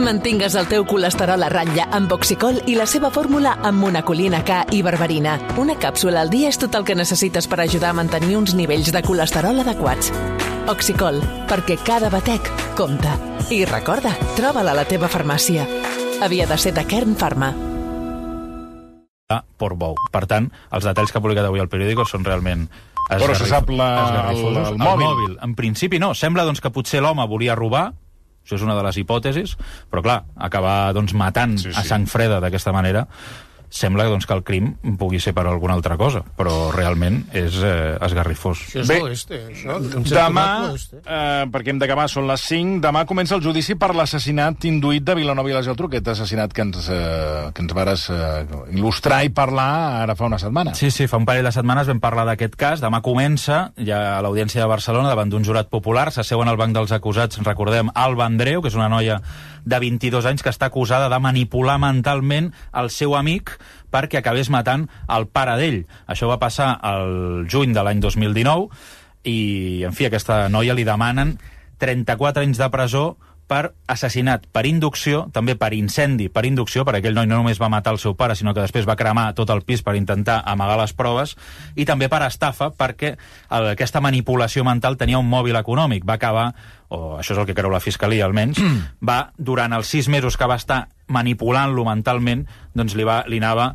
Mantingues el teu colesterol a ratlla amb Oxicol i la seva fórmula amb monacolina K i berberina. Una càpsula al dia és tot el que necessites per ajudar a mantenir uns nivells de colesterol adequats. Oxicol, perquè cada batec compta. I recorda, troba-la a la teva farmàcia. Havia de ser de Kern Pharma. Portbou. Per tant, els detalls que ha publicat avui el periòdico són realment però se sap el mòbil. En principi no. Sembla doncs, que potser l'home volia robar, això és una de les hipòtesis, però clar, acabar doncs, matant a sang freda d'aquesta manera, sembla doncs, que el crim pugui ser per alguna altra cosa, però realment és esgarrifós. Bé, demà, perquè hem d'acabar, són les 5, demà comença el judici per l'assassinat induït de Vilanova i la Geltrú, aquest assassinat que ens vares il·lustrar i parlar ara fa una setmana. Sí, fa un parell de setmanes vam parlar d'aquest cas. Demà comença, ja a l'Audiència de Barcelona, davant d'un jurat popular, s'asseuen al banc dels acusats, recordem, Alba Andreu, que és una noia de 22 anys que està acusada de manipular mentalment el seu amic perquè acabés matant el pare d'ell. Això va passar el juny de l'any 2019 i, en fi, a aquesta noia li demanen 34 anys de presó per assassinat per inducció, també per incendi per inducció, perquè aquell noi no només va matar el seu pare, sinó que després va cremar tot el pis per intentar amagar les proves, i també per estafa, perquè aquesta manipulació mental tenia un mòbil econòmic. Va acabar, o això és el que creu la Fiscalia almenys, va, durant els 6 mesos que va estar manipulant-lo mentalment, doncs li anava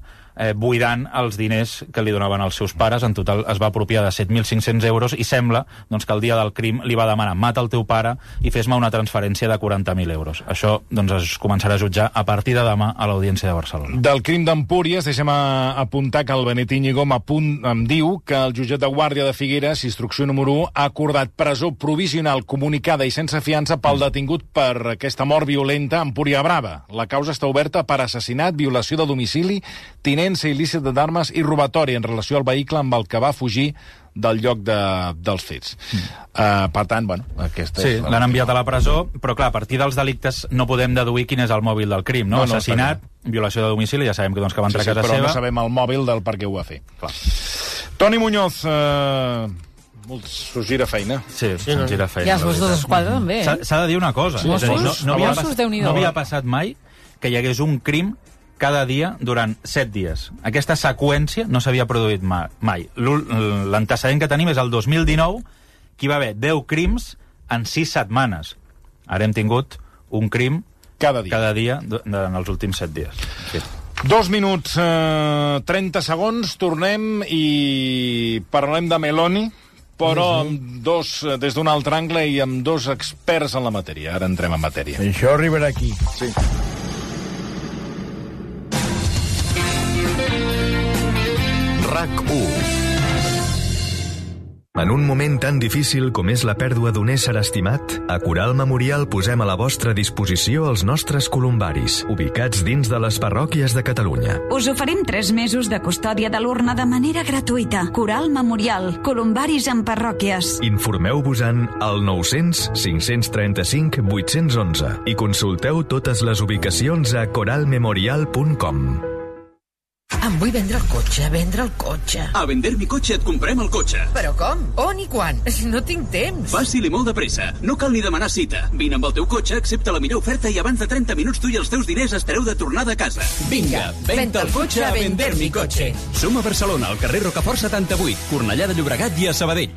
buidant els diners que li donaven els seus pares. En total es va apropiar de 7.500 euros i sembla doncs, que el dia del crim li va demanar mata el teu pare i fes-me una transferència de 40.000 euros. Això doncs, es començarà a jutjar a partir de demà a l'Audiència de Barcelona. Del crim d'Empúries, deixem apuntar que el Benet Íñigo em diu que el jutjat de Guàrdia de Figueres, instrucció número 1, ha acordat presó provisional comunicada i sense fiança pel detingut per aquesta mort violenta a Empúria Brava. La causa està oberta per assassinat, violació de domicili, tinença il·lícita d'armes i robatori en relació al vehicle amb el que va fugir del lloc dels fets. Per tant, bueno, aquesta és... Sí, l'han enviat a la presó, però clar, a partir dels delictes no podem deduir quin és el mòbil del crim, no? Assassinat, violació de domicili, ja sabem que, doncs, que va entrar a casa seva. Però no sabem el mòbil del per què ho va fer. Clar. Toni Muñoz, s'us gira feina. Sí, se'ns gira feina. I els Mossos d'Esquadra també. S'ha de dir una cosa. No havia passat mai que hi hagués un crim cada dia durant 7 dies. Aquesta seqüència no s'havia produït mai. L'antecedent que tenim és el 2019, que hi va haver 10 crims en 6 setmanes. Ara hem tingut un crim cada dia en els últims 7 dies. Sí. 2 minuts, 30 segons, tornem i parlem de Meloni, però des d'un altre angle i amb 2 experts en la matèria. Ara entrem en matèria. Això arribarà aquí. Sí. RAC1. En un moment tan difícil com és la pèrdua d'un ésser estimat, a Coral Memorial posem a la vostra disposició els nostres columbaris, ubicats dins de les parròquies de Catalunya. Us oferim 3 mesos de custòdia de l'urna de manera gratuïta. Coral Memorial, columbaris en parròquies. Informeu-vos-en al 900 535 811 i consulteu totes les ubicacions a coralmemorial.com. Em vull vendre el cotxe. A Vender mi cotxe et comprem el cotxe. Però com? On i quan? No tinc temps. Fàcil i molt de pressa. No cal ni demanar cita. Vine amb el teu cotxe, accepta la millor oferta i abans de 30 minuts tu i els teus diners estareu de tornada a casa. Vinga, venta el cotxe a Vender mi cotxe. Som a Barcelona, al carrer Rocafort 78, Cornellà de Llobregat i a Sabadell.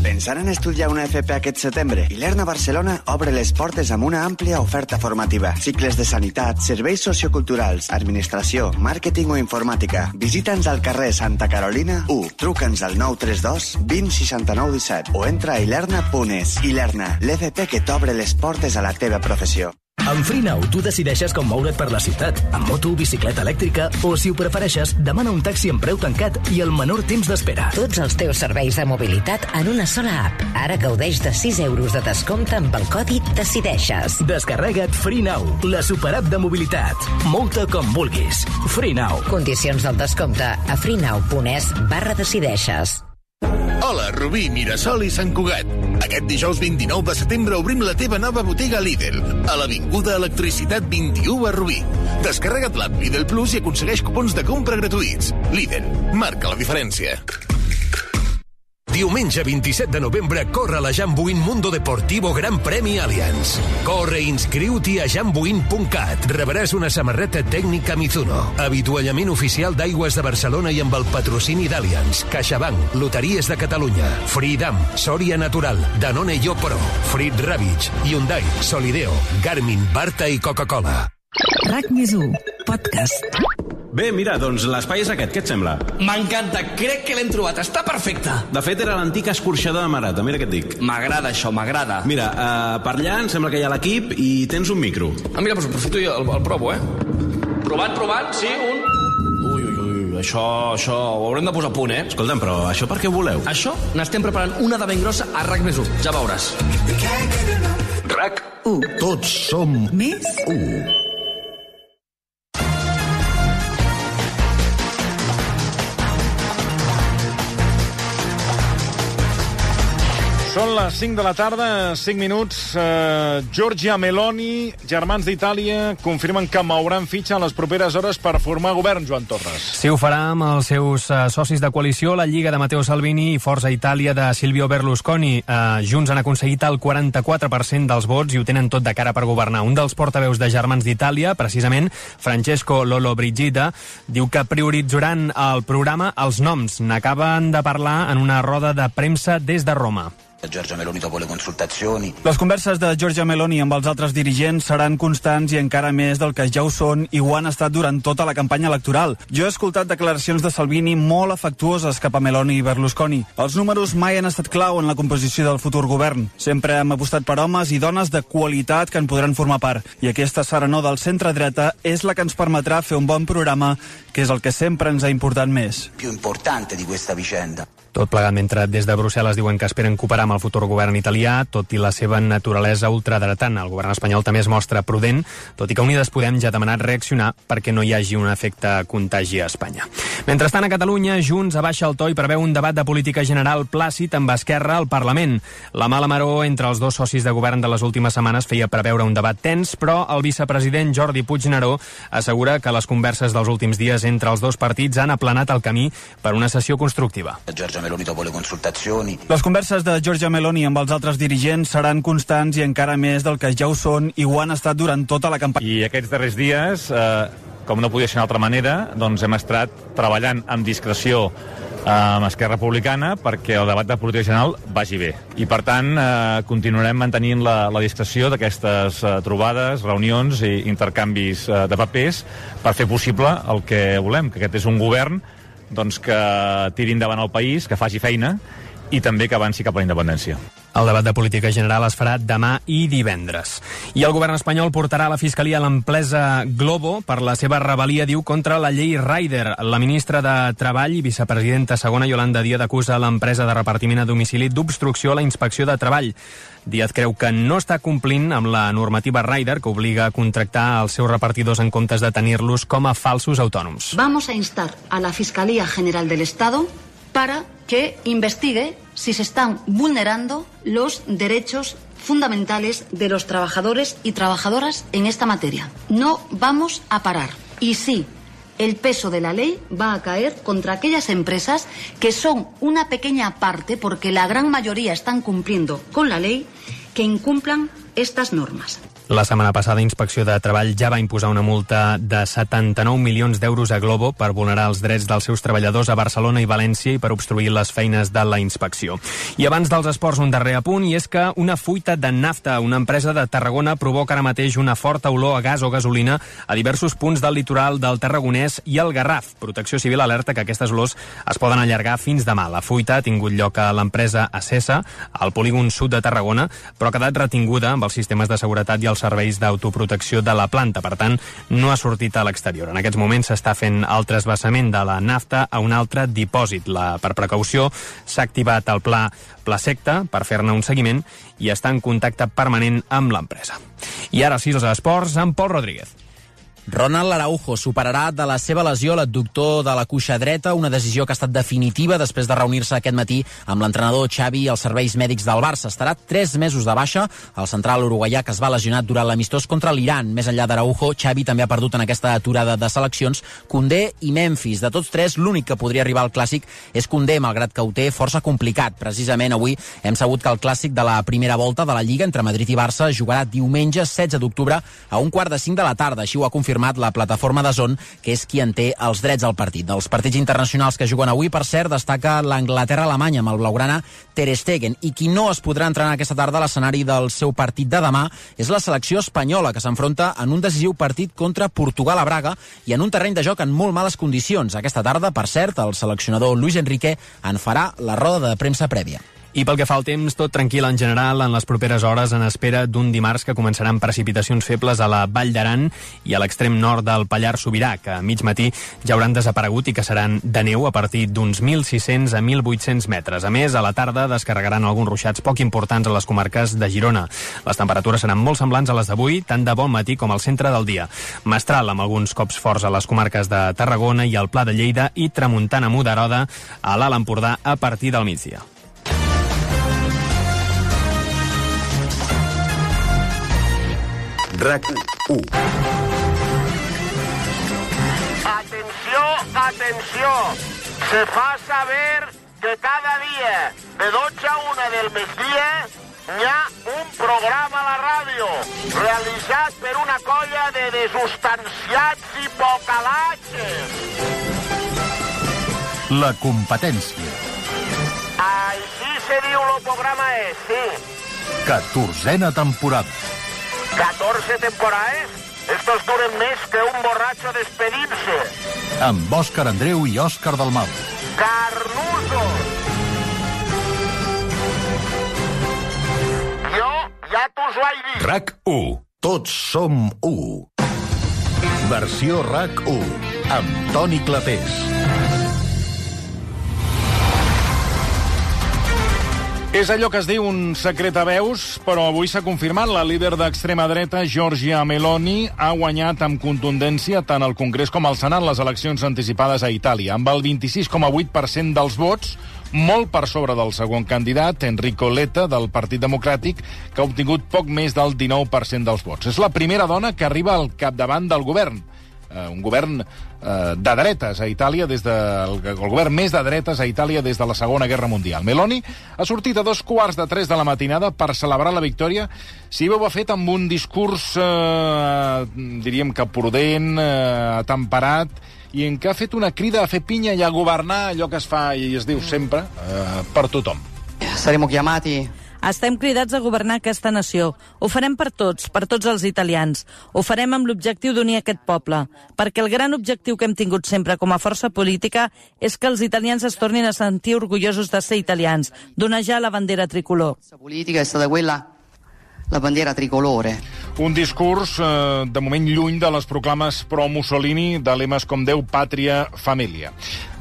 Pensant en estudiar una FP aquest setembre? Ilerna Barcelona obre les portes amb una àmplia oferta formativa. Cicles de sanitat, serveis socioculturals, administració, màrqueting o informàtica. Visita'ns al carrer Santa Carolina 1. Truca'ns al 932 20 69 17 o entra a ilerna.es. Ilerna, l'FP que t'obre les portes a la teva professió. Amb FreeNow tu decideixes com moure't per la ciutat, amb moto, bicicleta elèctrica o, si ho prefereixes, demana un taxi amb preu tancat i el menor temps d'espera. Tots els teus serveis de mobilitat en una sola app. Ara gaudeix de 6 euros de descompte amb el codi DECIDEIXES. Descarrega't FreeNow, la superapp de mobilitat. Multa com vulguis. FreeNow. Condicions del descompte a freenow.es/decideixes. Hola, Rubí, Mirasol i Sant Cugat. Aquest dijous 29 de setembre obrim la teva nova botiga Lidl, a l'Avinguda Electricitat 21 a Rubí. Descarrega't l'app Lidl Plus i aconsegueix cupons de compra gratuïts. Lidl, marca la diferència. Diumenge 27 de novembre corre la Jambuin Mundo Deportivo Gran Premi Allianz. Corre i inscriu-t'hi a jambuin.cat. Rebràs una samarreta tècnica Mizuno, avituallament oficial d'Aigües de Barcelona i amb el patrocini d'Allianz, CaixaBank, Loteries de Catalunya, Freedom, Soria Natural, Danone Pro, Frit Ravitch, Hyundai, Solideo, Garmin, Barta i Coca-Cola. RAC+1, podcast. Bé, mira, doncs l'espai és aquest, què et sembla? M'encanta, crec que l'hem trobat, està perfecte. De fet, era l'antic escorxador de Marata, mira què et dic. M'agrada això, m'agrada. Mira, per allà em sembla que hi ha l'equip i tens un micro. Mira, doncs aprofito i el provo, Provant, sí, un... Ui, això ho haurem de posar a punt, Escolta'm, però això per què ho voleu? Això n'estem preparant una de ben grossa a RAC+1, ja veuràs. RAC1. Tots som més 1. Són les 5 de la tarda, 5 minuts. Giorgia Meloni, germans d'Itàlia, confirmen que mouran fitxa en les properes hores per formar govern, Joan Torres. Sí, ho farà amb els seus socis de coalició, la Lliga de Matteo Salvini i Forza Itàlia de Silvio Berlusconi. Junts han aconseguit el 44% dels vots i ho tenen tot de cara per governar. Un dels portaveus de germans d'Itàlia, precisament, Francesco Lollobrigida, diu que prioritzaran el programa els noms. N'acaben de parlar en una roda de premsa des de Roma. Giorgia Meloni dopo le consultazioni. Les converses de Giorgia Meloni amb els altres dirigents seran constants i encara més del que ja ho són i ho han estat durant tota la campanya electoral. Jo he escoltat declaracions de Salvini molt afectuoses cap a Meloni i Berlusconi. Els números mai han estat clau en la composició del futur govern. Sempre hem apostat per homes i dones de qualitat que en podran formar part. I aquesta serenor del centre-dreta és la que ens permetrà fer un bon programa, que és el que sempre ens ha importat més. Più importante di questa vicenda. Tot plegat mentre des de Brussel·les diuen que esperen cooperar amb el futur govern italià, tot i la seva naturalesa ultradretana. El govern espanyol també es mostra prudent, tot i que Unides Podem ja ha demanat reaccionar perquè no hi hagi un efecte contagi a Espanya. Mentrestant, a Catalunya, Junts abaixa el to i preveu un debat de política general plàcid amb Esquerra al Parlament. La mala maror entre els dos socis de govern de les últimes setmanes feia preveure un debat tens, però el vicepresident Jordi Puigneró assegura que les converses dels últims dies entre els dos partits han aplanat el camí per una sessió constructiva. Meloni dopo le consultazioni. Les converses de Giorgia Meloni amb els altres dirigents seran constants i encara més del que ja ho són i ho han estat durant tota la campanya. I aquests darrers dies, com no podia ser d'altra manera, doncs hem estat treballant amb discreció amb Esquerra Republicana perquè el debat de política general vagi bé. I, per tant, continuarem mantenint la discreció d'aquestes trobades, reunions i intercanvis de papers per fer possible el que volem, que aquest és un govern doncs que tiri endavant el país, que faci feina i també que avanci cap a la independència. El debat de política general es farà demà i divendres. I el govern espanyol portarà a la Fiscalia l'empresa Glovo per la seva rebel·lia, diu, contra la llei Rider. La ministra de Treball i vicepresidenta segona, Yolanda Díaz, acusa l'empresa de repartiment a domicili d'obstrucció a la inspecció de treball. Díaz creu que no està complint amb la normativa Rider, que obliga a contractar els seus repartidors en comptes de tenir-los com a falsos autònoms. Vamos a instar a la Fiscalía General del Estado para que investigue si se están vulnerando los derechos fundamentales de los trabajadores y trabajadoras en esta materia. No vamos a parar. Y sí, el peso de la ley va a caer contra aquellas empresas que son una pequeña parte, porque la gran mayoría están cumpliendo con la ley, que incumplan estas normas. La setmana passada, Inspecció de Treball ja va imposar una multa de 79 milions d'euros a Glovo per vulnerar els drets dels seus treballadors a Barcelona i València i per obstruir les feines de la inspecció. I abans dels esports, un darrer apunt, i és que una fuita de nafta, una empresa de Tarragona, provoca ara mateix una forta olor a gas o gasolina a diversos punts del litoral del Tarragonès i el Garraf. Protecció Civil alerta que aquestes olors es poden allargar fins demà. La fuita ha tingut lloc a l'empresa Acesa, al polígon sud de Tarragona, però ha quedat retinguda amb els sistemes de seguretat i els serveis d'autoprotecció de la planta. Per tant, no ha sortit a l'exterior. En aquests moments s'està fent el trasbassament de la nafta a un altre dipòsit. Per precaució s'ha activat el pla Secta per fer-ne un seguiment i està en contacte permanent amb l'empresa. I ara sí, els esports amb Pol Rodríguez. Ronald Araujo superarà de la seva lesió l'adductor de la cuixa dreta, una decisió que ha estat definitiva després de reunir-se aquest matí amb l'entrenador Xavi i els serveis mèdics del Barça. Estarà 3 mesos de baixa el central uruguaià que es va lesionar durant l'amistós contra l'Iran. Més enllà d'Araujo, Xavi també ha perdut en aquesta aturada de seleccions Koundé i Memphis. De tots 3, l'únic que podria arribar al Clàssic és Koundé, malgrat que ho té força complicat. Precisament avui hem sabut que el Clàssic de la primera volta de la Lliga entre Madrid i Barça jugarà diumenge 16 d'octubre a 4:45 de la tarda. Així ho ha confirmat la plataforma DAZN, que és qui en té els drets al partit. Dels partits internacionals que juguen avui, per cert, destaca l'Anglaterra-Alemanya amb el blaugrana Ter Stegen. I qui no es podrà entrenar aquesta tarda a l'escenari del seu partit de demà és la selecció espanyola, que s'enfronta en un decisiu partit contra Portugal a Braga i en un terreny de joc en molt males condicions. Aquesta tarda, per cert, el seleccionador Luis Enrique en farà la roda de premsa prèvia. I pel que fa al temps, tot tranquil en general en les properes hores, en espera d'un dimarts que començaran precipitacions febles a la Vall d'Aran i a l'extrem nord del Pallars Sobirà, que a mig matí ja hauran desaparegut i que seran de neu a partir d'uns 1.600 a 1.800 metres. A més, a la tarda descarregaran alguns ruixats poc importants a les comarques de Girona. Les temperatures seran molt semblants a les d'avui, tant de bon matí com al centre del dia. Mestral amb alguns cops forts a les comarques de Tarragona i al Pla de Lleida i tramuntana moderada a l'Alt Empordà a partir del migdia. RAC1. Atenció, se fa saber que cada dia de 12 a 1 del migdia hi ha un programa a la ràdio realitzat per una colla de desustanciats i pocalatges. La competència. Així se diu el programa sí. 14a temporada. 14 temporades? Estos duren més que un borratxo despedint-se. Amb Òscar Andreu i Òscar Dalmau. Carnusos! Jo ja t'us ho he dit. RAC1. Tots som 1. Versió RAC1. Amb Toni Clapés. És allò que es diu un secret a veus, però avui s'ha confirmat. La líder d'extrema dreta, Giorgia Meloni, ha guanyat amb contundència tant al Congrés com al Senat les eleccions anticipades a Itàlia, amb el 26,8% dels vots, molt per sobre del segon candidat, Enrico Letta, del Partit Democràtic, que ha obtingut poc més del 19% dels vots. És la primera dona que arriba al capdavant del govern. Un govern de dretes a Itàlia, el govern més de dretes a Itàlia des de la Segona Guerra Mundial. Meloni ha sortit a 2:15 de la matinada per celebrar la victòria. Si ho ha fet amb un discurs, diríem que prudent, atemperat, i en què ha fet una crida a fer pinya i a governar allò que es fa i es diu sempre per tothom. Saremo chiamati. Estem cridats a governar aquesta nació. Ho farem per tots els italians. Ho farem amb l'objectiu d'unir aquest poble, perquè el gran objectiu que hem tingut sempre com a força política és que els italians es tornin a sentir orgullosos de ser italians, d'onejar la bandera tricolor. La política és stata quella, la bandera tricolore. Un discurs, de moment, lluny de les proclames pro-Mussolini de lemes com Déu, Pàtria, Família.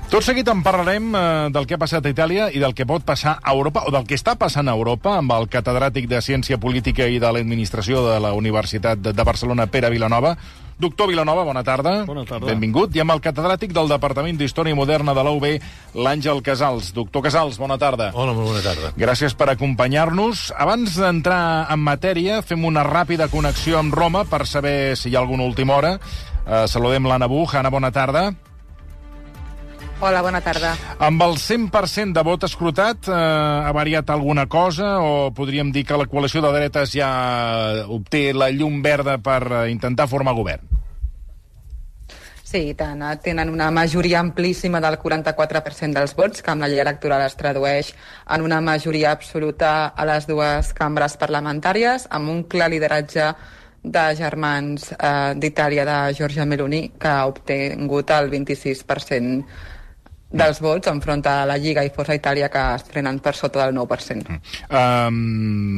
Tot seguit en parlarem del que ha passat a Itàlia i del que pot passar a Europa, o del que està passant a Europa, amb el catedràtic de Ciència Política i de l'Administració de la Universitat de Barcelona, Pere Vilanova. Doctor Vilanova, bona tarda. Bona tarda. Benvingut. I amb el catedràtic del Departament d'Història Moderna de la UB, l'Àngel Casals. Doctor Casals, bona tarda. Hola, molt bona tarda. Gràcies per acompanyar-nos. Abans d'entrar en matèria, fem una ràpida connexió amb Roma per saber si hi ha alguna última hora. Saludem l'Anna Buch. Anna, bona tarda. Hola, bona tarda. Amb el 100% de vot escrutat, ha variat alguna cosa o podríem dir que la coalició de dretes ja obté la llum verda per intentar formar govern? Sí, i tant. Tenen una majoria amplíssima del 44% dels vots, que amb la llei electoral es tradueix en una majoria absoluta a les dues cambres parlamentàries, amb un clar lideratge de germans d'Itàlia, de Giorgia Meloni, que ha obtingut el 26% dels vots enfront a la Lliga i Força Itàlia, que es frenen per sota del 9%.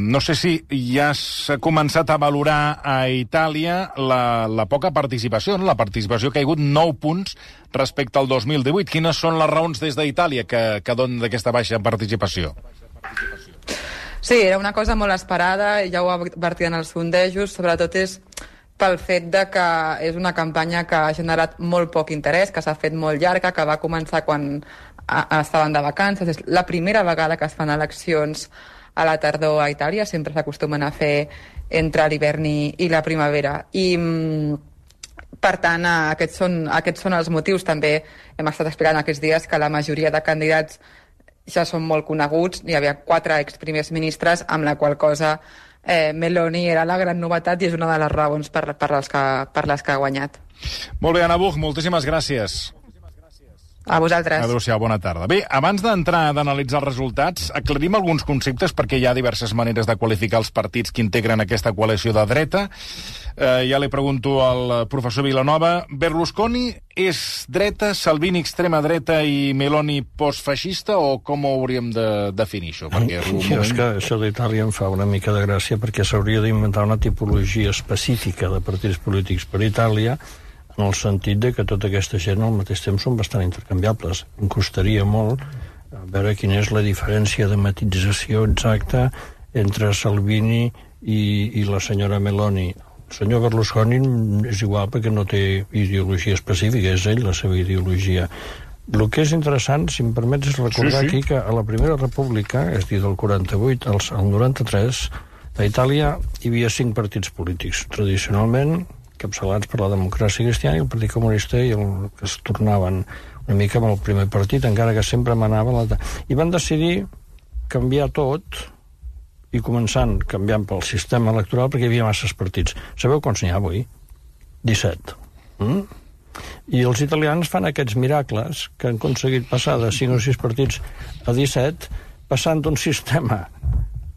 No sé si ja s'ha començat a valorar a Itàlia la poca participació, no? La participació ha caigut 9 punts respecte al 2018. Quines són les raons des d'Itàlia que donen d'aquesta baixa participació? Sí, era una cosa molt esperada, i ja ho advertien els sondejos, sobretot és pel fet de que és una campanya que ha generat molt poc interès, que s'ha fet molt llarga, que va començar quan estaven de vacances. És la primera vegada que es fan eleccions a la tardor a Itàlia, sempre s'acostumen a fer entre l'hivern i la primavera. I, per tant, aquests són els motius. També hem estat explicant aquests dies que la majoria de candidats ja són molt coneguts. Hi havia 4 exprimers ministres, amb la qual cosa Meloni era la gran novetat i és una de les raons per les que ha guanyat. Molt bé, Anna Buch, moltíssimes gràcies. A vosaltres. Adéu-siau, bona tarda. Bé, abans d'analitzar els resultats, aclarim alguns conceptes perquè hi ha diverses maneres de qualificar els partits que integren aquesta coalició de dreta. Ja li pregunto al professor Vilanova, Berlusconi és dreta, Salvini extrema dreta i Meloni postfeixista, o com ho hauríem de definir això? Perquè és que això d'Itàlia em fa una mica de gràcia perquè s'hauria d'inventar una tipologia específica de partits polítics per Itàlia, en el sentit de que tota aquesta gent al mateix temps són bastant intercanviables. Em costaria molt veure quina és la diferència de matització exacta entre Salvini i la senyora Meloni. El senyor Berlusconi és igual perquè no té ideologia específica, és ell la seva ideologia. El que és interessant, si em permets, és recordar aquí que a la Primera República, és a dir, del 48 al 93, a Itàlia hi havia 5 partits polítics. Tradicionalment, capçalats per la democràcia cristiana i el Partit Comunista, i el que es tornaven una mica amb el primer partit, encara que sempre manava i van decidir canviar tot, i començant canviant pel sistema electoral perquè hi havia masses partits. Sabeu quants n'hi ha avui? 17. I els italians fan aquests miracles que han aconseguit passar de 5 o 6 partits a 17, passant d'un sistema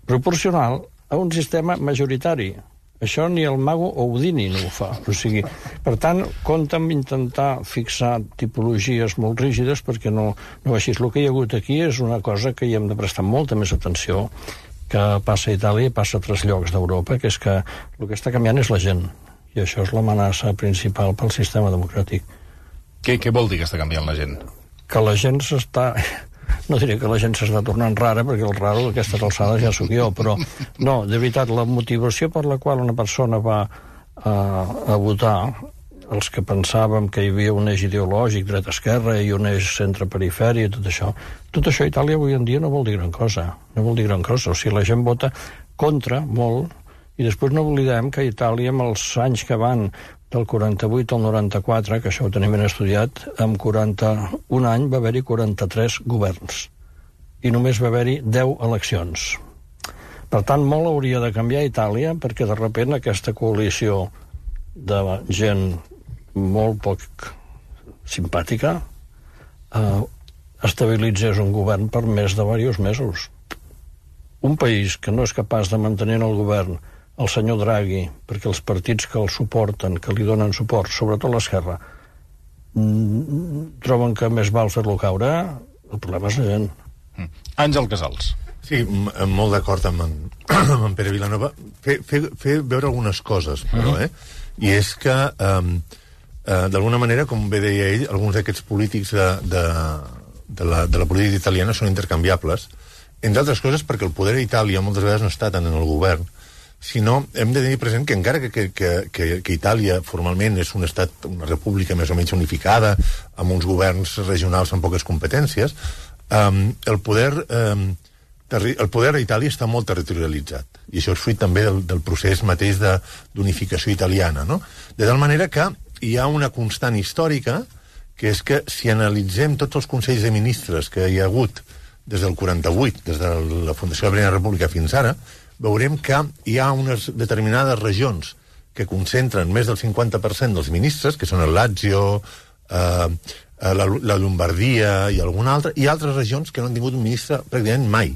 proporcional a un sistema majoritari. Això ni el mago Houdini no ho fa. O sigui, per tant, compta amb intentar fixar tipologies molt rígides perquè no així. El que hi ha hagut aquí és una cosa que hi hem de prestar molta més atenció, que passa a Itàlia i passa a altres llocs d'Europa, que és que el que està canviant és la gent. I això és l'amenaça principal pel sistema democràtic. Què vol dir que està canviant la gent? Que la gent s'està... No diré que la gent s'està tornant rara, perquè el raro d'aquestes alçades ja sóc jo, però no, de veritat, la motivació per la qual una persona va a votar, els que pensàvem que hi havia un eix ideològic, dreta-esquerra, i un eix centre-perifèria, tot això a Itàlia avui en dia no vol dir gran cosa. No vol dir gran cosa. O sigui, la gent vota contra molt, i després no oblidem que a Itàlia, amb els anys que van del 48 al 94, que això ho tenim ben estudiat, amb 41 anys va haver-hi 43 governs. I només va haver-hi 10 eleccions. Per tant, molt hauria de canviar a Itàlia, perquè de sobte aquesta coalició de gent molt poc simpàtica estabilitzés un govern per més de diversos mesos. Un país que no és capaç de mantenir el govern el senyor Draghi, perquè els partits que el suporten, que li donen suport, sobretot l'esquerra, troben que més val fer-lo caure, el problema és la gent. Àngel Casals. Sí, molt d'acord amb en Pere Vilanova. Fer veure algunes coses, però, i és que, d'alguna manera, com bé deia ell, alguns d'aquests polítics de la política italiana són intercanviables, entre altres coses perquè el poder a Itàlia moltes vegades no està tant en el govern, sinó hem de tenir present que encara que Itàlia formalment és un estat, una república més o menys unificada, amb uns governs regionals amb poques competències, el poder a Itàlia està molt territorialitzat, i això és fruit també del procés mateix d'unificació italiana, no? De tal manera que hi ha una constant històrica, que és que si analitzem tots els consells de ministres que hi ha hagut des del 48, des de la fundació de la Primera República fins ara, veurem que hi ha unes determinades regions que concentren més del 50% dels ministres, que són el Lazio, la Lombardia i alguna altra, i altres regions que no han tingut un ministre pràcticament mai.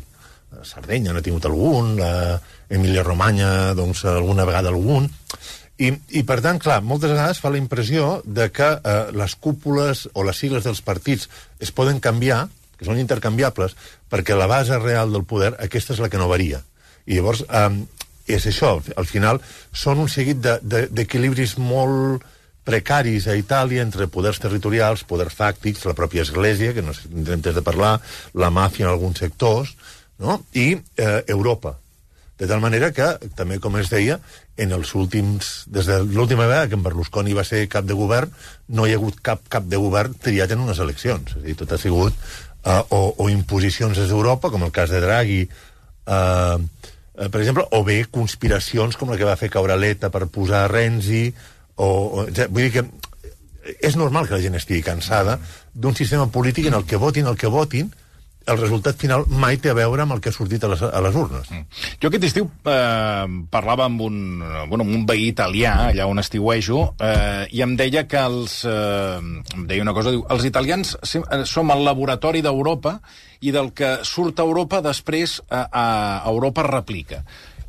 Sardenya n'ha tingut algun, Emília-Romanya, doncs, alguna vegada algun, i per tant, clar, moltes vegades fa la impressió de que les cúpules o les sigles dels partits es poden canviar, que són intercanviables, perquè la base real del poder, aquesta és la que no varia. I llavors, és això, al final, són un seguit d'equilibris molt precaris a Itàlia entre poders territorials, poders fàctics, la pròpia Església, que no sé si tindrem temps de parlar, la màfia en alguns sectors, no? I Europa. De tal manera que, també com es deia, des de l'última vegada que en Berlusconi va ser cap de govern, no hi ha hagut cap de govern triat en unes eleccions. És a dir, tot ha sigut o imposicions des d'Europa, com el cas de Draghi, per exemple, o bé conspiracions com la que va fer caure Letta per posar Renzi, vull dir que és normal que la gent estigui cansada d'un sistema polític en el que votin el resultat final mai té a veure amb el que ha sortit a les urnes. Jo aquest estiu parlava amb un veí italià, allà on estiuejo, i em deia que em deia una cosa, diu, els italians som el laboratori d'Europa i del que surt a Europa després a Europa replica.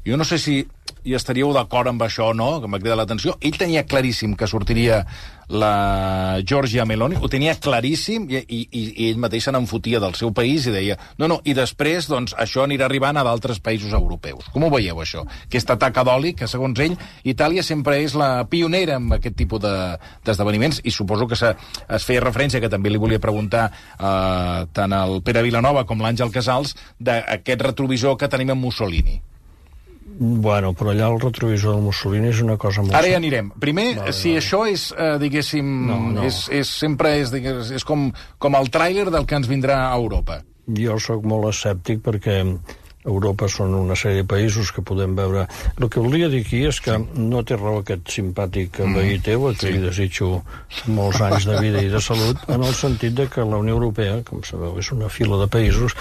Jo no sé si hi estaríeu d'acord amb això o no, que m'ha cridat l'atenció. Ell tenia claríssim que sortiria la Giorgia Meloni, ho tenia claríssim, i ell mateix se n'enfotia del seu país i deia, no, i després, doncs, això anirà arribant a d'altres països europeus. Com ho veieu, això? Aquesta taca d'oli, que, segons ell, Itàlia sempre és la pionera en aquest tipus d'esdeveniments, i suposo que es feia referència, que també li volia preguntar tant al Pere Vilanova com l'Àngel Casals, d'aquest retrovisor que tenim en Mussolini. Bueno, però allà el retrovisor del Mussolini és una cosa molt... Ara ja anirem. Primer, si això és, diguéssim, és com el tràiler del que ens vindrà a Europa. Jo sóc molt escèptic perquè Europa són una sèrie de països que podem veure... El que volia dir aquí és que no té raó aquest simpàtic veí teu, que li desitjo molts anys de vida i de salut, en el sentit de que la Unió Europea, com sabeu, és una fila de països,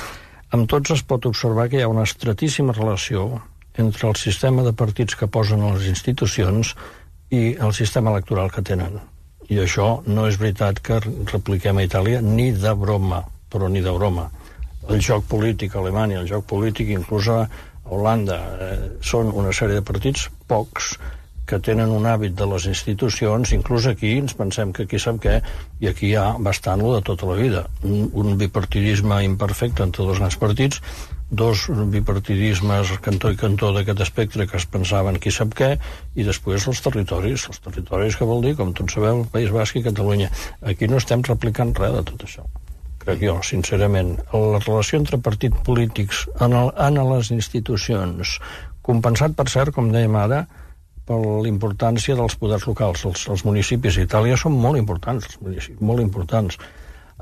amb tots es pot observar que hi ha una estratíssima relació entre el sistema de partits que posen a les institucions i el sistema electoral que tenen. I això no és veritat que repliquem a Itàlia ni de broma, però ni de broma. El joc polític a Alemanya, el joc polític inclús a Holanda, són una sèrie de partits, pocs, que tenen un hàbit de les institucions, inclús aquí ens pensem que aquí sap què, i aquí hi ha bastant lo de tota la vida. Un bipartidisme imperfecte entre dos grans partits, dos bipartidismes cantó i cantó d'aquest espectre que es pensaven qui sap què, i després els territoris que vol dir, com tots sabeu, el País Basc i Catalunya. Aquí no estem replicant res de tot això, crec jo, sincerament. La relació entre partits polítics en les institucions, compensat, per cert, com dèiem ara, per l'importància dels poders locals. Els municipis d'Itàlia són molt importants, els municipis, molt importants.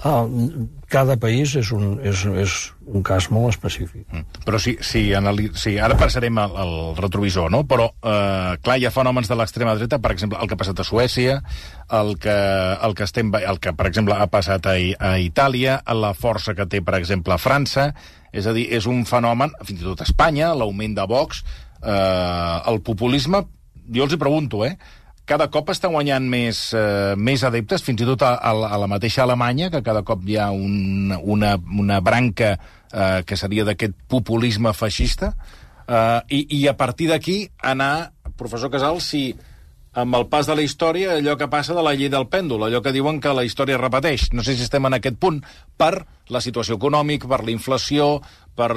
Cada país és un cas molt específic. Però ara passarem al retrovisor, no? Però, clar, hi ha fenòmens de l'extrema dreta, per exemple, el que ha passat a Suècia, el que per exemple, ha passat a Itàlia, la força que té, per exemple, a França, és a dir, és un fenomen, fins i tot a Espanya, l'augment de Vox, el populisme, jo els hi pregunto, cada cop està guanyant més adeptes, fins i tot a la mateixa Alemanya, que cada cop hi ha una branca que seria d'aquest populisme feixista, i a partir d'aquí anar, professor Casals, si amb el pas de la història, allò que passa de la llei del pèndol, allò que diuen que la història repeteix. No sé si estem en aquest punt per la situació econòmica, per la inflació, per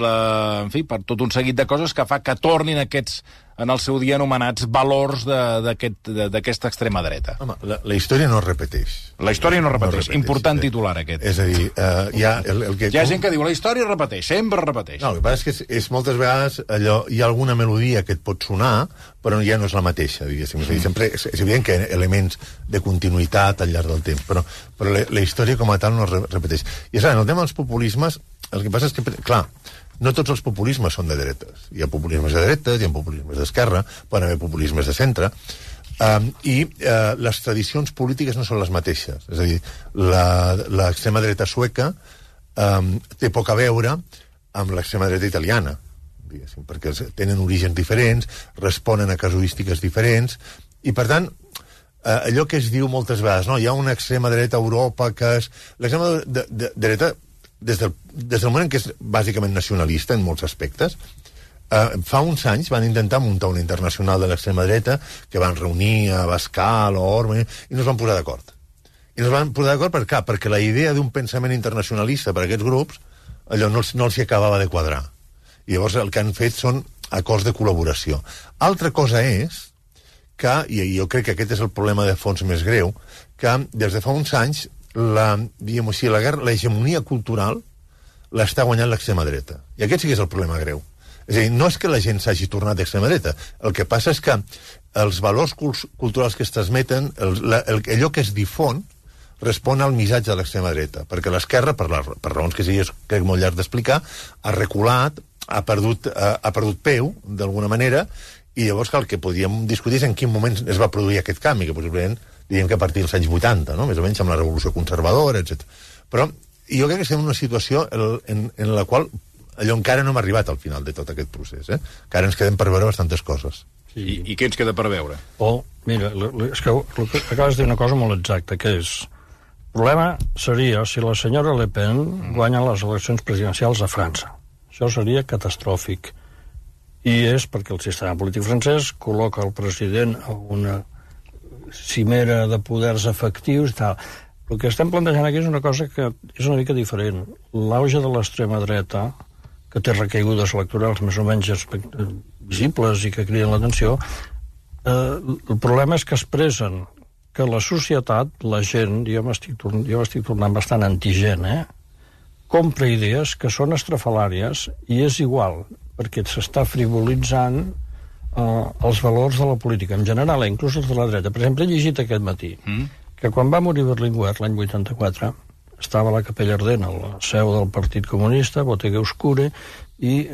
tot un seguit de coses que fa que tornin aquests, en el seu dia anomenats, valors d'aquesta extrema dreta. Home, la història no es repeteix. La història no es repeteix. Important titular, aquest. És a dir, hi ha gent que diu la història es repeteix, sempre es repeteix. No, el que passa és que és moltes vegades allò, hi ha alguna melodia que et pot sonar, però ja no és la mateixa, diguéssim. És a dir, sempre és evident que hi ha elements de continuïtat al llarg del temps, però la història com a tal no es repeteix. I és clar, en el tema dels populismes, el que passa és que, clar, no tots els populismes són de dretes. Hi ha populismes de dretes, hi ha populismes d'esquerra, poden haver populismes de centre, i les tradicions polítiques no són les mateixes. És a dir, l'extrema dreta sueca té poc a veure amb l'extrema dreta italiana, diguéssim, perquè tenen orígens diferents, responen a casuístiques diferents, i per tant, allò que es diu moltes vegades, no? Hi ha una extrema dreta a Europa que és... L'extrema dreta, des del moment que és bàsicament nacionalista en molts aspectes, fa uns anys van intentar muntar una internacional de l'extrema dreta que van reunir a Bascal o Orme i no es van posar d'acord. I no es van posar d'acord per què? Perquè la idea d'un pensament internacionalista per a aquests grups allò no els acabava de quadrar. I llavors el que han fet són acords de col·laboració. Altra cosa és que, i jo crec que aquest és el problema de fons més greu, que des de fa uns anys l'hegemonia cultural l'està guanyant l'extrema dreta. I aquest sí que és el problema greu. És a dir, no és que la gent s'hagi tornat d'extrema dreta, el que passa és que els valors culturals que es transmeten, allò que es difon, respon al missatge de l'extrema dreta, perquè l'esquerra, per raons que sigui crec molt llarg d'explicar, ha reculat, ha perdut peu, d'alguna manera, i llavors el que podíem discutir és en quin moment es va produir aquest canvi, que possiblement diríem que a partir dels anys 80, no? Més o menys amb la revolució conservadora, etc. Però jo crec que estem en una situació en la qual allò encara no hem arribat al final de tot aquest procés, encara ens quedem per veure bastantes coses. Sí. I què ens queda per veure? Mira, és que acabes de dir una cosa molt exacta, que és el problema seria si la senyora Le Pen guanya les eleccions presidencials a França. Això seria catastròfic. I és perquè el sistema polític francès col·loca el president a una cimera de poders efectius i tal. El que estem plantejant aquí és una cosa que és una mica diferent. L'auge de l'extrema dreta, que té recaigudes electorals més o menys visibles i que criden l'atenció, el problema és que expressen que la societat, la gent, jo m'estic tornant bastant antigent, compra idees que són estrafalàries i és igual, perquè s'està frivolitzant els valors de la política, en general, inclús els de la dreta. Per exemple, he llegit aquest matí que quan va morir Berlinguer, l'any 84, estava a la Capella Ardent, a la seu del Partit Comunista, Botega Oscura, i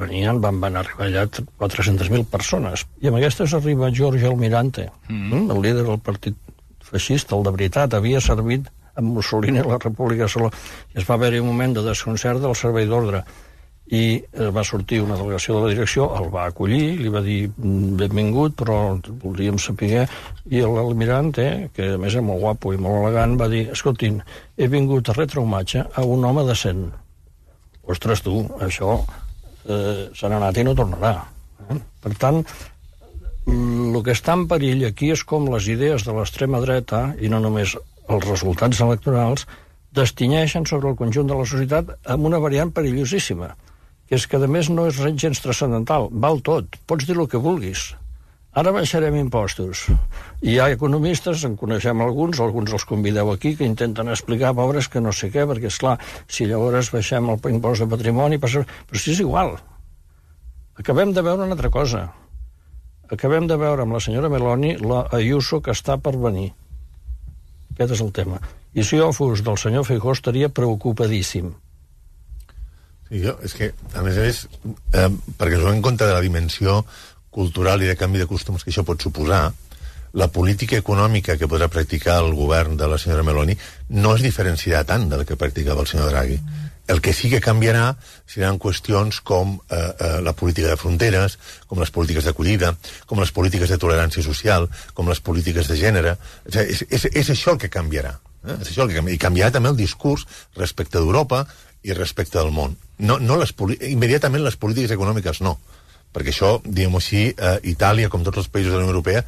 van arribar allà 400.000 persones. I amb aquestes arriba Giorgio Almirante, el líder del partit feixista, el de veritat, havia servit amb Mussolini a la República de Saló. I es va haver-hi un moment de desconcert del servei d'ordre. I va sortir una delegació de la direcció, el va acollir, li va dir benvingut, però voldríem saber, i l'almirante, que a més és molt guapo i molt elegant, va dir, escoltin, he vingut a retre homatge a un home decent. Ostres, tu, això se n'ha anat i no tornarà. Per tant, el que està en perill aquí és com les idees de l'extrema dreta, i no només els resultats electorals, destinyeixen sobre el conjunt de la societat amb una variant perillosíssima, que és que, a més, no és gens transcendental. Val tot. Pots dir el que vulguis. Ara baixarem impostos. I hi ha economistes, en coneixem alguns els convideu aquí, que intenten explicar, pobres, que no sé què, perquè, esclar, si llavors baixem el impost de patrimoni, però si és igual. Acabem de veure una altra cosa. Acabem de veure amb la senyora Meloni la Ayuso que està per venir. Aquest és el tema. I si jo fos del senyor Feijóo estaria preocupadíssim. Sí, és que, a més, perquè es en compte de la dimensió cultural i de canvi de costums que això pot suposar, la política econòmica que podrà practicar el govern de la senyora Meloni no es diferenciarà tant de la que practicava el senyor Draghi. El que sí que canviarà seran qüestions com la política de fronteres, com les polítiques d'acollida, com les polítiques de tolerància social, com les polítiques de gènere. És això el que canviarà. És això el que canviarà. I canviarà també el discurs respecte d'Europa i respecte del món. Immediatament les polítiques econòmiques no, perquè això, diguem-ho així, Itàlia, com tots els països de la Unió Europea,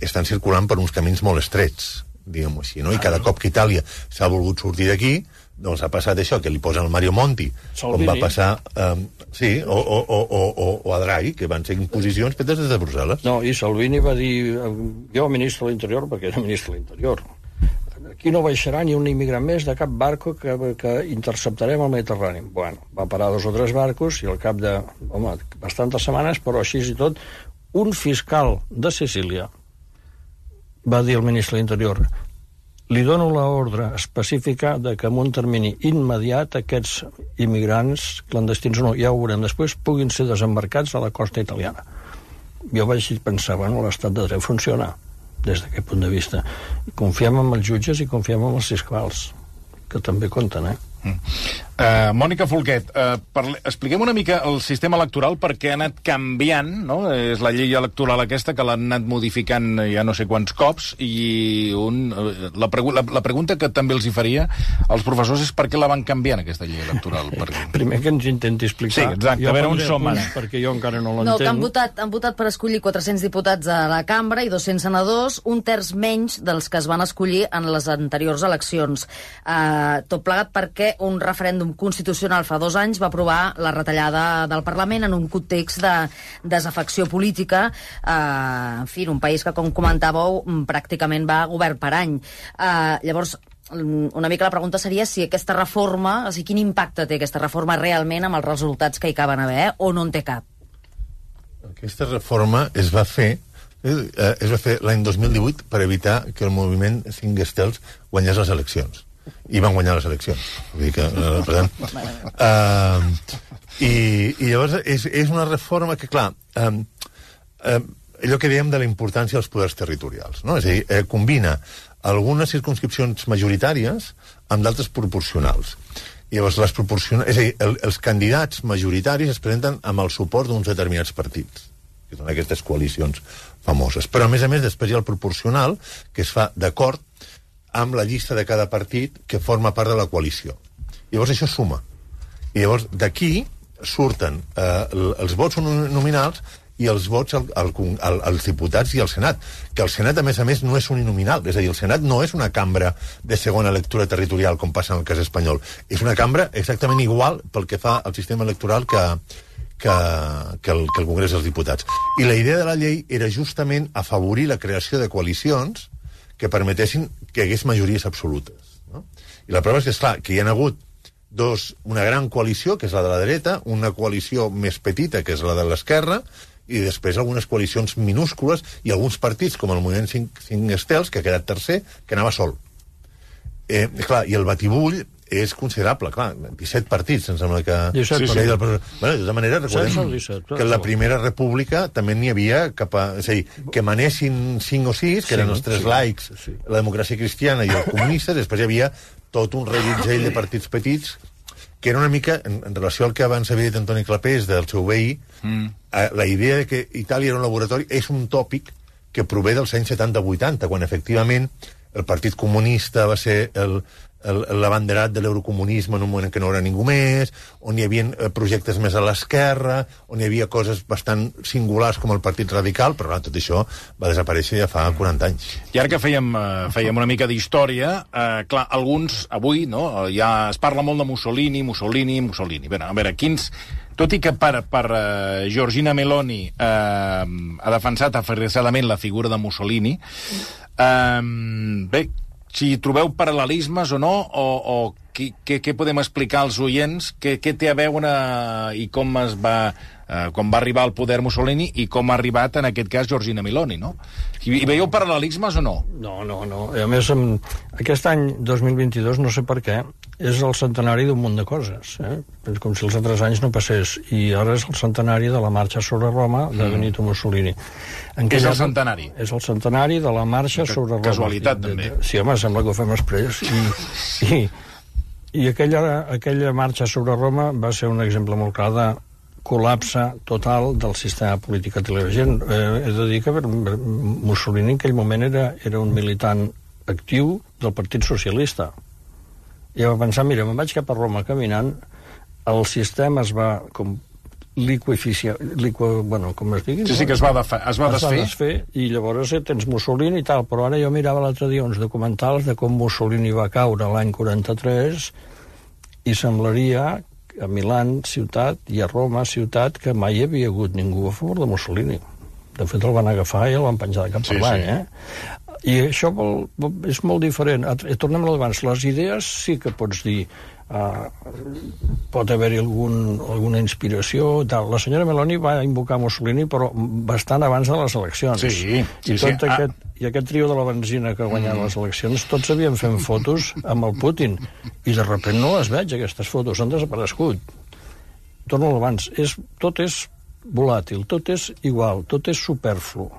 estan circulant per uns camins molt estrets, diguem-ho així, no? I cada cop que Itàlia s'ha volgut sortir d'aquí, doncs ha passat això, que li posen el Mario Monti, com va passar, o a Draghi, que van ser imposicions fetes des de Brussel·les. No, i Salvini va dir, jo ministre de l'Interior, perquè era ministre de l'Interior, aquí no baixarà ni un immigrant més de cap barco que interceptarem al Mediterrani. Bueno, va parar 2 o 3 barcos i al cap de, bastantes setmanes, però així i tot, un fiscal de Sicília va dir al ministre de l'Interior, li dono l'ordre específica de que en un termini immediat aquests immigrants clandestins o no, ja ho veurem després, puguin ser desembarcats a la costa italiana. Jo vaig pensar, l'estat de dret funciona des d'aquest punt de vista. Confiem en els jutges i confiem en els fiscals, que també compten, Mònica Folquet, expliquem una mica el sistema electoral perquè ha anat canviant, no? És la llei electoral aquesta que l'han anat modificant ja no sé quants cops i la pregunta que també els hi faria als professors és per què la van canviant aquesta llei electoral. Primer que ens intenti explicar. Sí, exacte, a veure on som ara. Perquè jo encara no l'entenc. No, que han votat per escollir 400 diputats a la cambra i 200 senadors, un terç menys dels que es van escollir en les anteriors eleccions. Tot plegat perquè un referèndum constitucional fa 2 anys va aprovar la retallada del Parlament en un context de desafecció política, en fi, un país que, com comentàveu, pràcticament va govern per any. Llavors, una mica la pregunta seria si aquesta reforma, quin impacte té aquesta reforma realment amb els resultats que hi acaben haver, o no en té cap? Aquesta reforma es va fer l'any 2018 per evitar que el moviment 5 estels guanyés les eleccions. I van guanyar les eleccions. Vull dir que, per tant... I llavors és una reforma que, clar, allò que dèiem de la importància dels poders territorials, no? És a dir, combina algunes circumscripcions majoritàries amb d'altres proporcionals. I llavors, és a dir, els candidats majoritaris es presenten amb el suport d'uns determinats partits, que són aquestes coalicions famoses. Però, a més, després hi ha el proporcional, que es fa d'acord amb la llista de cada partit que forma part de la coalició. Llavors, això suma. I llavors, d'aquí surten els vots nominals i els vots als diputats i al Senat. Que el Senat, a més, no és uninominal. És a dir, el Senat no és una cambra de segona lectura territorial, com passa en el cas espanyol. És una cambra exactament igual pel que fa al sistema electoral que el Congrés dels Diputats. I la idea de la llei era justament afavorir la creació de coalicions que permetessin que hi hagués majories absolutes. No? I la prova és que, esclar, que hi ha hagut una gran coalició, que és la de la dreta, una coalició més petita, que és la de l'esquerra, i després algunes coalicions minúscules i alguns partits, com el moviment 5 estels, que ha quedat tercer, que anava sol. Clar, i el batibull és considerable, clar, 17 partits, em sembla que... 17 partits. Bueno, de tota manera, recordem que en la Primera República també n'hi havia és a dir, que manessin 5 o 6, que eren els 3 laics, la democràcia cristiana i els comunistes, després hi havia tot un reguitzell de partits petits que era una mica, en relació al que abans havia dit Antoni Clapés, del seu veí, la idea de que Itàlia era un laboratori és un tòpic que prové dels anys 70-80, quan efectivament el Partit Comunista va ser l'abanderat de l'eurocomunisme en un moment en què no era ningú més, on hi havia projectes més a l'esquerra, on hi havia coses bastant singulars com el Partit Radical, però tot això va desaparèixer ja fa 40 anys. I ara que fèiem una mica d'història, clar, alguns avui, no, ja es parla molt de Mussolini. Bé, a veure, quins... Tot i que per Giorgina Meloni ha defensat aferrissadament la figura de Mussolini, bé, si trobeu paral·lelismes o no, o què podem explicar als oients, què té a veure i com va arribar al poder Mussolini i com ha arribat, en aquest cas, Giorgina Meloni, no? Hi veieu paral·lelismes o no? No. A més, aquest any 2022, no sé per què, és el centenari d'un munt de coses, com si els altres anys no passés, i ara és el centenari de la marxa sobre Roma de Benito Mussolini. És el centenari? És el centenari de la marxa sobre Roma. Casualitat, també. Sí, home, sembla que ho fem després. I aquella marxa sobre Roma va ser un exemple molt clar de col·lapse total del sistema polític intel·ligent. He de dir que Mussolini en aquell moment era un militant actiu del Partit Socialista. I va pensar, mira, me'n vaig cap a Roma caminant, el sistema es va com com es digui? Sí, que es va desfer. I llavors tens Mussolini i tal, però ara jo mirava l'altre dia uns documentals de com Mussolini va caure l'any 43 i semblaria a Milan, ciutat, i a Roma, ciutat, que mai hi havia hagut ningú a favor de Mussolini. De fet, el van agafar i el van penjar de cap per avall, I això és molt diferent. Tornem a l'abans. Les idees sí que pots dir pot haver-hi alguna inspiració. La senyora Meloni va invocar Mussolini, però bastant abans de les eleccions. I aquest trio de la benzina que ha guanyat les eleccions, tots havien fent fotos amb el Putin. I de sobte no les veig, aquestes fotos. Han desaparegut. Torno a l'abans. Tot és volàtil, tot és igual, tot és superflu.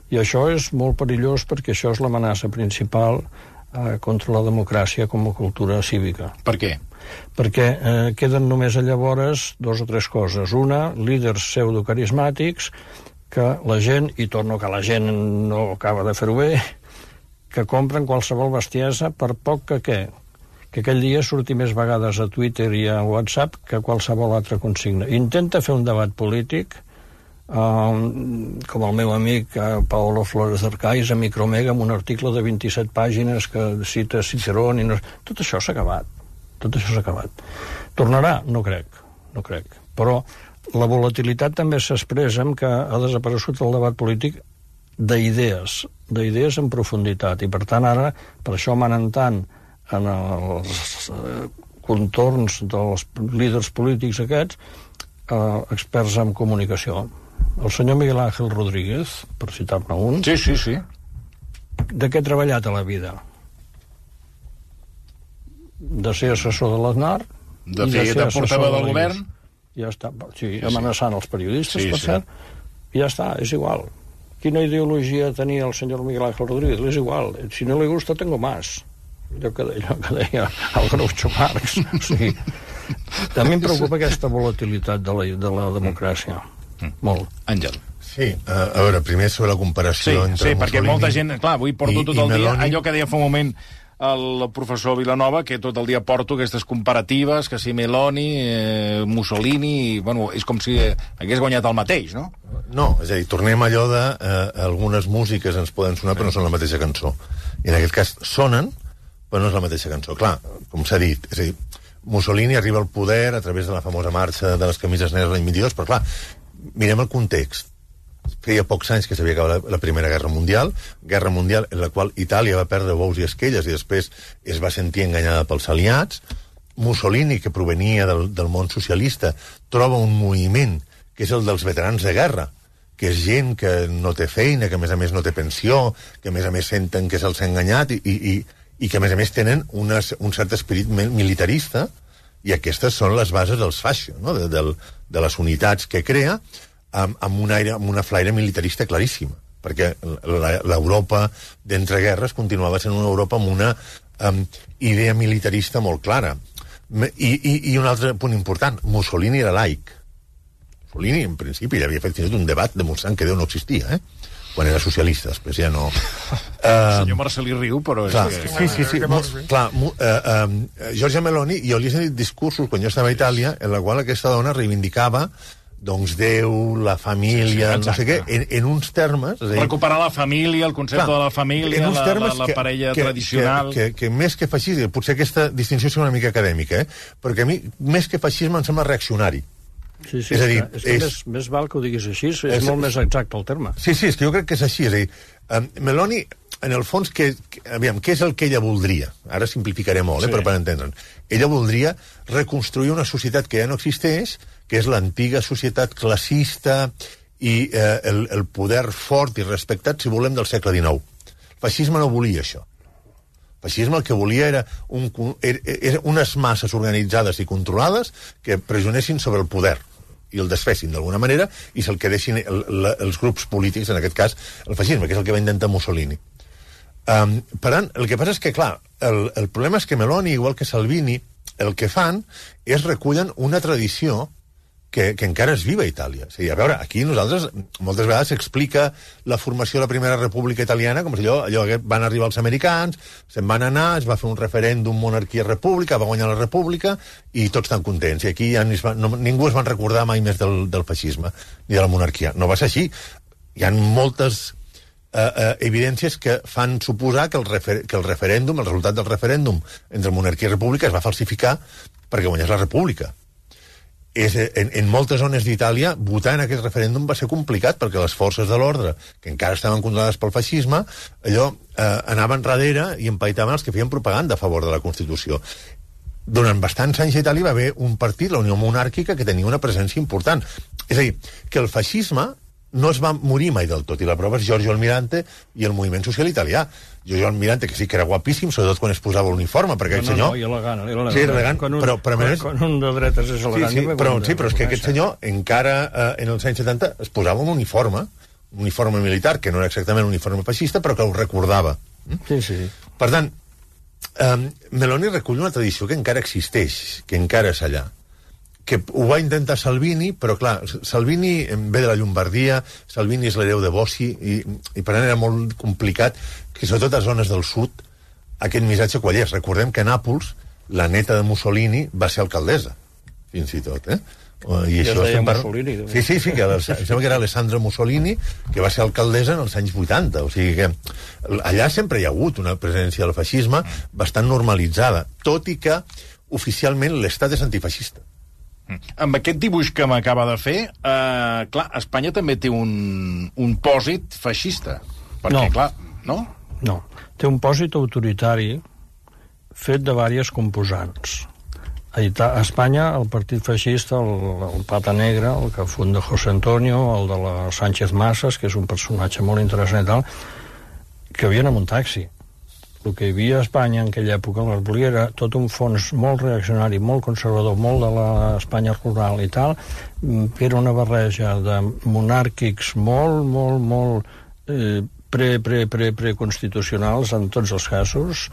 I això és molt perillós perquè això és l'amenaça principal contra la democràcia com a cultura cívica. Per què? Perquè queden només llavors 2 o 3 coses. Una, líders pseudocarismàtics que la gent, i torno que la gent no acaba de fer-ho bé, que compren qualsevol bestiesa per poc que aquell dia surti més vegades a Twitter i a WhatsApp que qualsevol altra consigna. Intenta fer un debat polític com el meu amic Paolo Flores d'Arcais a Micromega, amb un article de 27 pàgines que cita Cicerón tot això s'ha acabat. Tornarà? No crec. Però la volatilitat també s'expressa en que ha desaparegut el debat polític d'idees en profunditat, i per tant ara, per això manen tant en els contorns dels líders polítics aquests experts en comunicació. El senyor Miguel Ángel Rodríguez, per citar-ne un... Sí. De què ha treballat a la vida? De ser assessor de l'Aznar... De fer de portaveu del govern? Ja està, sí, amenaçant els periodistes, per cert. Ja està, és igual. Quina ideologia tenia el senyor Miguel Ángel Rodríguez? És igual. Si no li gusta, tengo más. Allò que deia el Groucho Marx. O sigui, també em preocupa aquesta volatilitat de la democràcia. Molt. Àngel. Sí, a veure, primer sobre la comparació entre Mussolini... Sí, perquè molta gent... Clar, avui porto tot el dia allò que deia fa un moment el professor Vilanova, que tot el dia porto aquestes comparatives, que si Meloni, Mussolini... Bueno, és com si hagués guanyat el mateix, no? No, és a dir, tornem a allò de... algunes músiques ens poden sonar, però no són la mateixa cançó. I en aquest cas sonen, però no és la mateixa cançó. Clar, com s'ha dit, és a dir, Mussolini arriba al poder a través de la famosa marxa de les camises negres l'any 22, però clar, mirem el context. Feia pocs anys que s'havia acabat la Primera Guerra Mundial en la qual Itàlia va perdre bous i esquelles i després es va sentir enganyada pels aliats. Mussolini, que provenia del món socialista, troba un moviment que és el dels veterans de guerra, que és gent que no té feina, que a més no té pensió, que a més senten que se'ls ha enganyat i que a més tenen un cert esperit militarista, i aquestes són les bases dels fascio, no? de les unitats que crea, amb una flaire militarista claríssima, perquè l'Europa d'entreguerres continuava sent una Europa amb una idea militarista molt clara. I un altre punt important, Mussolini era laic. Mussolini, en principi, ja havia fet fins i tot un debat demostrant que Déu no existia, quan era socialista, després ja no... El senyor Marcelí riu, però... Clar, sí. Clar, Giorgia Meloni, jo li he sentit discursos quan jo estava a Itàlia, en la qual aquesta dona reivindicava doncs Déu, la família, no sé què, en uns termes... Recuperar la família, el concepte de la família, la parella tradicional... Que més que feixisme, potser aquesta distinció és una mica acadèmica, perquè a mi, més que feixisme, em sembla reaccionari. Sí, és a dir, més val que ho diguis així, és molt més exacte el terme. Sí, és que jo crec que és així, és a dir, Meloni, en el fons, què és el que ella voldria? Ara simplificaré molt, però per entendre'n. Ella voldria reconstruir una societat que ja no existeix, que és l'antiga societat classista i el poder fort i respectat, si volem, del segle XIX. El feixisme no volia això. El feixisme el que volia era unes masses organitzades i controlades que pressionessin sobre el poder i el desfessin d'alguna manera i se'l quedessin els grups polítics, en aquest cas el feixisme, que és el que va intentar Mussolini. Per tant, el que passa és que, clar, el problema és que Meloni, igual que Salvini, el que fan és recullen una tradició que encara és viva a Itàlia. O sigui, a veure, aquí nosaltres moltes vegades s'explica la formació de la Primera República Italiana com si allò van arribar els americans, se'n van anar, es va fer un referèndum monarquia-república, va guanyar la república i tots estan contents. I aquí ja ningú es van recordar mai més del feixisme ni de la monarquia. No va ser així. Hi ha moltes evidències que fan suposar que el referèndum, el resultat del referèndum entre monarquia i república es va falsificar perquè guanyés la república. En moltes zones d'Itàlia votar en aquest referèndum va ser complicat perquè les forces de l'ordre, que encara estaven controlades pel feixisme, anaven darrere i empaitaven els que feien propaganda a favor de la Constitució. Durant bastants anys a Itàlia va haver un partit, la Unió Monàrquica, que tenia una presència important. És a dir, que el feixisme no es va morir mai del tot, i la prova és Giorgio Almirante i el moviment social italià. Giorgio Almirante, que sí que era guapíssim, sobretot quan es posava l'uniforme, perquè aquest senyor... No, i elegant. Sí, elegant, però a més... Quan un de dretes és elegant... Sí, però és que aquest senyor, encara en els anys 70, es posava un uniforme militar, que no era exactament un uniforme feixista, però que ho recordava. Sí. Per tant, Meloni recull una tradició que encara existeix, que encara és allà, que ho va intentar Salvini, però clar, Salvini ve de la Llombardia, Salvini és l'hereu de Bossi, i per tant era molt complicat que sobretot a zones del sud aquest missatge quallés. Recordem que a Nàpols la neta de Mussolini va ser alcaldessa, fins i tot, I això es deia Mussolini. Sí, que em sembla que era Alessandra Mussolini, que va ser alcaldessa en els anys 80, o sigui que allà sempre hi ha hagut una presència del feixisme bastant normalitzada, tot i que oficialment l'Estat és antifeixista. Amb aquest dibuix que m'acaba de fer, clar, Espanya també té un pòsit feixista. Perquè, clar, no? No, té un pòsit autoritari fet de diverses composants. A Espanya, el partit feixista, el Pata Negra, el que funda José Antonio, el de la Sánchez Masas, que és un personatge molt interessant i tal, que havien amb un taxi. El que hi havia a Espanya en aquella època, l'Arbolí, era tot un fons molt reaccionari, molt conservador, molt de l'Espanya rural i tal, que era una barreja de monàrquics molt preconstitucionals en tots els casos,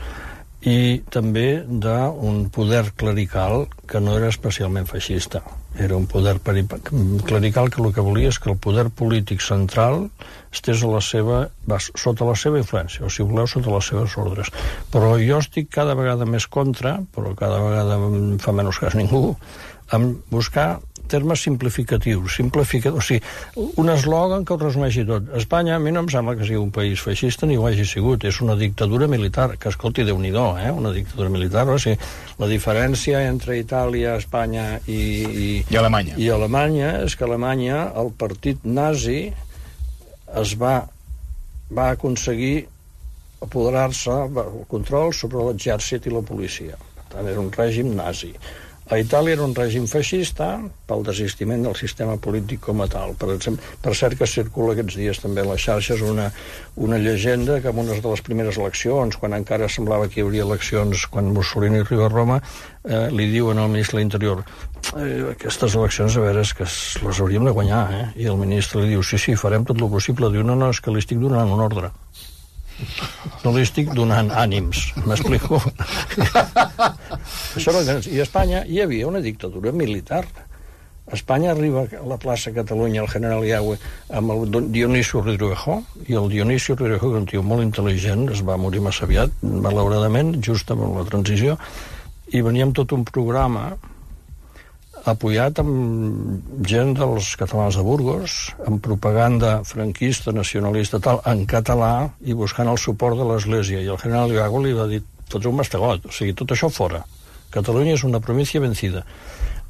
i també d'un poder clerical que no era especialment feixista. Era un poder clerical que el que volia és que el poder polític central estés sota la seva influència, o si voleu, sota les seves ordres. Però jo estic cada vegada més contra, però cada vegada em fa menys cas ningú, en buscar termes simplificatius, o sigui, un eslògan que ho resumeixi tot. Espanya, a mi no em sembla que sigui un país feixista ni ho hagi sigut, és una dictadura militar, que escolti, Déu-n'hi-do, una dictadura militar, o sigui, la diferència entre Itàlia, Espanya i Alemanya és que a Alemanya el partit nazi va aconseguir apoderar-se el control sobre l'exèrcit i la policia. Per tant, era un règim nazi. A Itàlia era un règim feixista pel desistiment del sistema polític com a tal. Per cert que circula aquests dies també a les xarxes una llegenda que en una de les primeres eleccions, quan encara semblava que hi hauria eleccions, quan Mussolini arriba a Roma, li diuen al ministre de l'Interior aquestes eleccions, a veure, és que les hauríem de guanyar, I el ministre li diu, sí, farem tot el possible. Diu, no, és que li estic donant un ordre. No li estic donant ànims, m'explico? I a Espanya hi havia una dictadura militar. A Espanya arriba a la plaça Catalunya el general Yagüe amb el Dionisio Ridruejo, i el Dionisio Ridruejo, que un tio molt intel·ligent, es va morir massa aviat, malauradament, just amb la transició, i venia amb tot un programa apoyat amb gent dels catalans de Burgos, amb propaganda franquista, nacionalista, tal, en català, i buscant el suport de l'Església. I el general Iago li va dir, fots un mastegot, o sigui, tot això fora. Catalunya és una província vencida.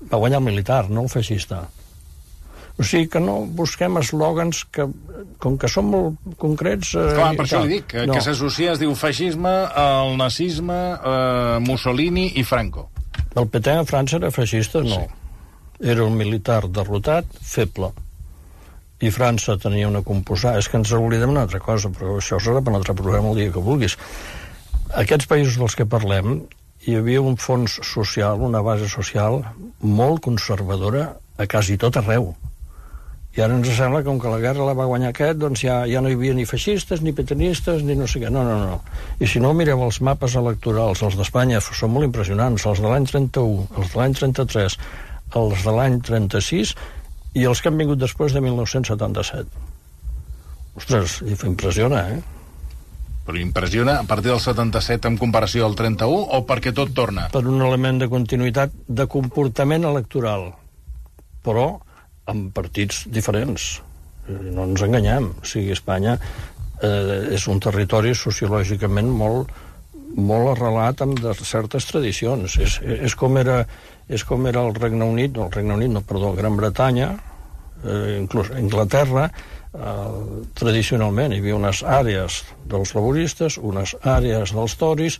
Va guanyar el militar, no el feixista. O sigui que no busquem eslògans que, com que són molt concrets... Clar, per això li dic, que s'associa, es diu feixisme, el nazisme, Mussolini i Franco. El Pétain a França era feixista? No. Sí. Era un militar derrotat, feble. I França tenia una composada... És que ens oblidem una altra cosa, però això serà per un altre programa el dia que vulguis. Aquests països dels que parlem, hi havia un fons social, una base social molt conservadora a quasi tot arreu. I ara ens sembla que com que la guerra la va guanyar aquest, doncs ja no hi havia ni feixistes, ni petanistes, ni no sé què. No. I si no, mireu els mapes electorals, els d'Espanya són molt impressionants, els de l'any 31, els de l'any 33, els de l'any 36 i els que han vingut després de 1977. Ostres, impressiona, Però impressiona a partir del 77 en comparació al 31 o perquè tot torna? Per un element de continuïtat de comportament electoral, però amb partits diferents. No ens enganyem. O sigui, Espanya és un territori sociològicament molt arrelat amb certes tradicions. És com era el Regne Unit, Gran Bretanya, inclús Anglaterra, tradicionalment hi havia unes àrees dels laboristes, unes àrees dels toris,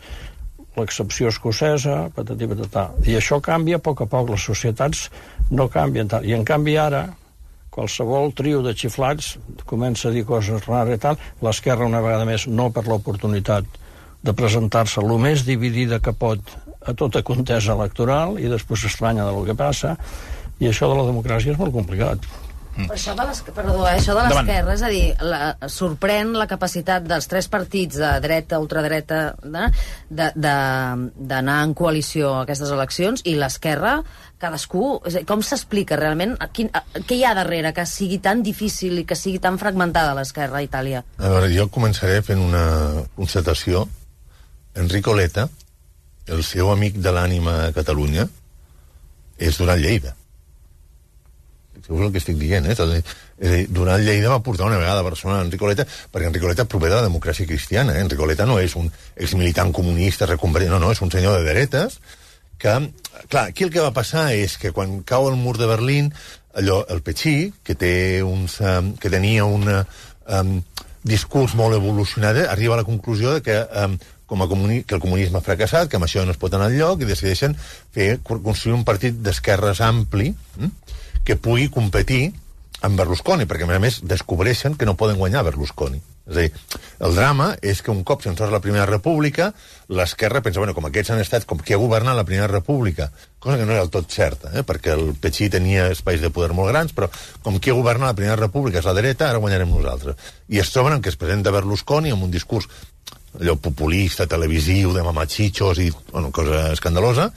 l'excepció escocesa, patati patatà. I això canvia a poc, les societats no canvien tant. I en canvi ara, qualsevol trio de xiflats comença a dir coses rares i tal, l'esquerra una vegada més no per l'oportunitat de presentar-se el més dividida que pot a tota contesa electoral i després s'estranya del que passa, i això de la democràcia és molt complicat. Això de l'esquerra, és a dir, sorprèn la capacitat dels tres partits de dreta, ultradreta, d'anar en coalició a aquestes eleccions, i l'esquerra, cadascú... Com s'explica realment? Què hi ha darrere que sigui tan difícil i que sigui tan fragmentada l'esquerra a Itàlia? A veure, jo començaré fent una constatació. Enrico Letta, el seu amic de l'ànima a Catalunya, és Duran Lleida. Segons el que estic dient, Duran Lleida va portar una vegada a Barcelona a Enrico Letta, perquè Enrico Letta prové de la democràcia cristiana. Enrico Letta no és un exmilitant comunista reconvertit, no, és un senyor de dretes que, clar, aquí el que va passar és que quan cau el mur de Berlín, el Petxí, que tenia un discurs molt evolucionat, arriba a la conclusió de que que el comunisme ha fracassat, que amb això no es pot anar enlloc, i decideixen construir un partit d'esquerres ampli que pugui competir amb Berlusconi, perquè a més descobreixen que no poden guanyar Berlusconi. És a dir, el drama és que un cop se'n surt la Primera República, l'esquerra pensa, bueno, com aquests han estat, com qui ha governat la Primera República, cosa que no era del tot certa, perquè el Petxí tenia espais de poder molt grans, però com qui ha governat la Primera República és la dreta, ara guanyarem nosaltres. I es troben que es presenta Berlusconi amb un discurs allò populista, televisiu, de mamachitxos i cosa escandalosa,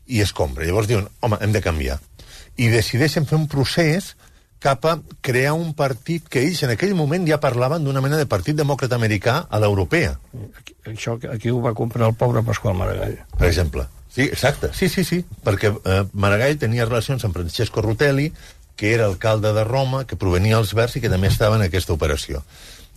i es compra. Llavors diuen, home, hem de canviar. I decideixen fer un procés cap a crear un partit que ells en aquell moment ja parlaven d'una mena de partit demòcrata americà a l'europea. Això aquí ho va comprar el pobre Pasqual Maragall. Per exemple. Sí, exacte. Sí, perquè Maragall tenia relacions amb Francesco Rutelli, que era alcalde de Roma, que provenia dels Verds i que també estava en aquesta operació.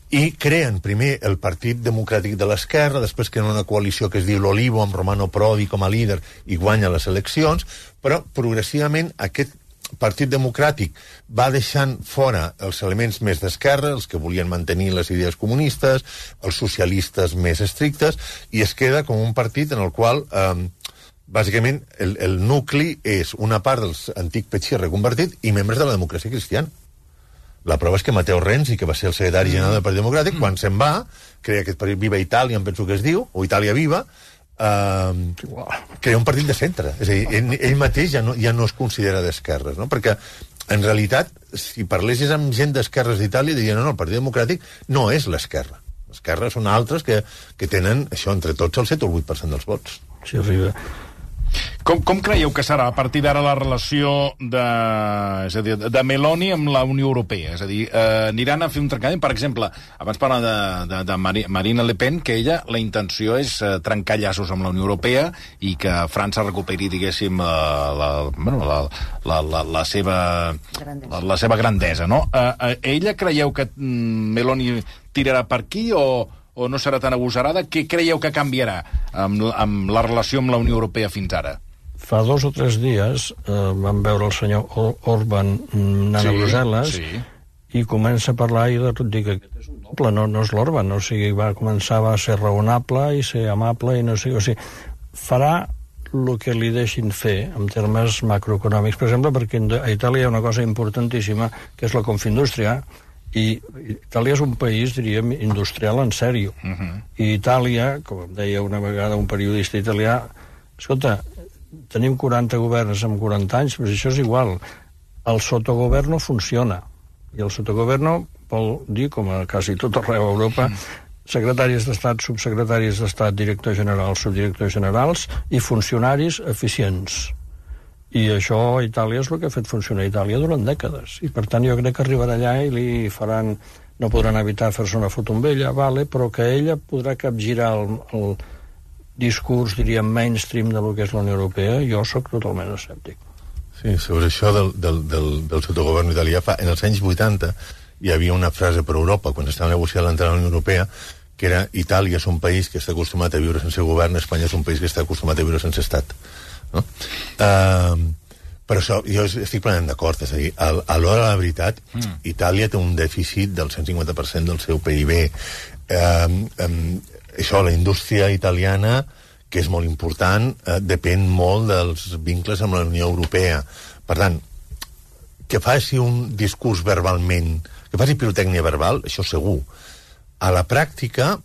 I creen primer el Partit Democràtic de l'Esquerra, després creen una coalició que es diu l'Olivo, amb Romano Prodi com a líder, i guanya les eleccions, però progressivament aquest Partit Democràtic va deixant fora els elements més d'esquerra, els que volien mantenir les idees comunistes, els socialistes més estrictes, i es queda com un partit en el qual, bàsicament, el nucli és una part dels antic Petxí reconvertit i membres de la democràcia cristiana. La prova és que Matteo Renzi, que va ser el secretari general del Partit Democràtic, quan se'n va, crea aquest partit Viva Itàlia, em penso que es diu, o Itàlia Viva, crea un partit de centre. És a dir, ell mateix ja no es considera d'esquerres, no? Perquè, en realitat, si parlessis amb gent d'esquerres d'Itàlia, dirien, no, el Partit Democràtic no és l'esquerra. L'esquerra són altres que tenen, això, entre tots, el 7 o el 8% dels vots. Sí, arriba. Com creieu que serà a partir d'ara la relació de Meloni amb la Unió Europea? És a dir, aniran a fer un trencament? Per exemple, abans parlàvem de Marine Le Pen, que ella, la intenció és trencar llaços amb la Unió Europea i que França recuperi, diguéssim, la seva grandesa, no? Ella creieu que Meloni tirarà per aquí o no serà tan agosarada? Què creieu que canviarà amb la relació amb la Unió Europea fins ara? Fa 2 o 3 dies vam veure el senyor Orban anant a Brussel·les i comença a parlar i de tot, dic que aquest és un doble, no és l'Orban, o sigui, començava a ser raonable i ser amable i no sé, o sigui, farà el que li deixin fer en termes macroeconòmics, per exemple, perquè a Itàlia hi ha una cosa importantíssima que és la Confindústria, i Itàlia és un país, diríem, industrial en sèrio. I Itàlia, com em deia una vegada un periodista italià, escolta, tenim 40 governs amb 40 anys, però això és igual. El sotogoverno funciona. I el sotogoverno vol dir, com a quasi tot arreu a Europa, secretaris d'Estat, subsecretaris d'Estat, directors generals, subdirectors generals i funcionaris eficients. I això a Itàlia és el que ha fet funcionar Itàlia durant dècades. I per tant jo crec que arribarà allà i li faran, no podran evitar fer-se una foto amb ella, però que ella podrà capgirar el discurs, diríem, mainstream de lo que és la Unió Europea. Jo sóc totalment escèptic. Sí, sobre això del sotogovern italià, en els anys 80 hi havia una frase per Europa, quan estava negociant l'entrada a la Unió Europea, que era Itàlia és un país que està acostumat a viure sense govern, Espanya és un país que està acostumat a viure sense estat. No? Però això, jo estic plenament d'acord, és a dir, a l'hora de la veritat, Itàlia té un dèficit del 150% del seu PIB. Això, la indústria italiana, que és molt important, depèn molt dels vincles amb la Unió Europea. Per tant, que faci un discurs verbalment, que faci pirotècnia verbal, això segur. A la pràctica,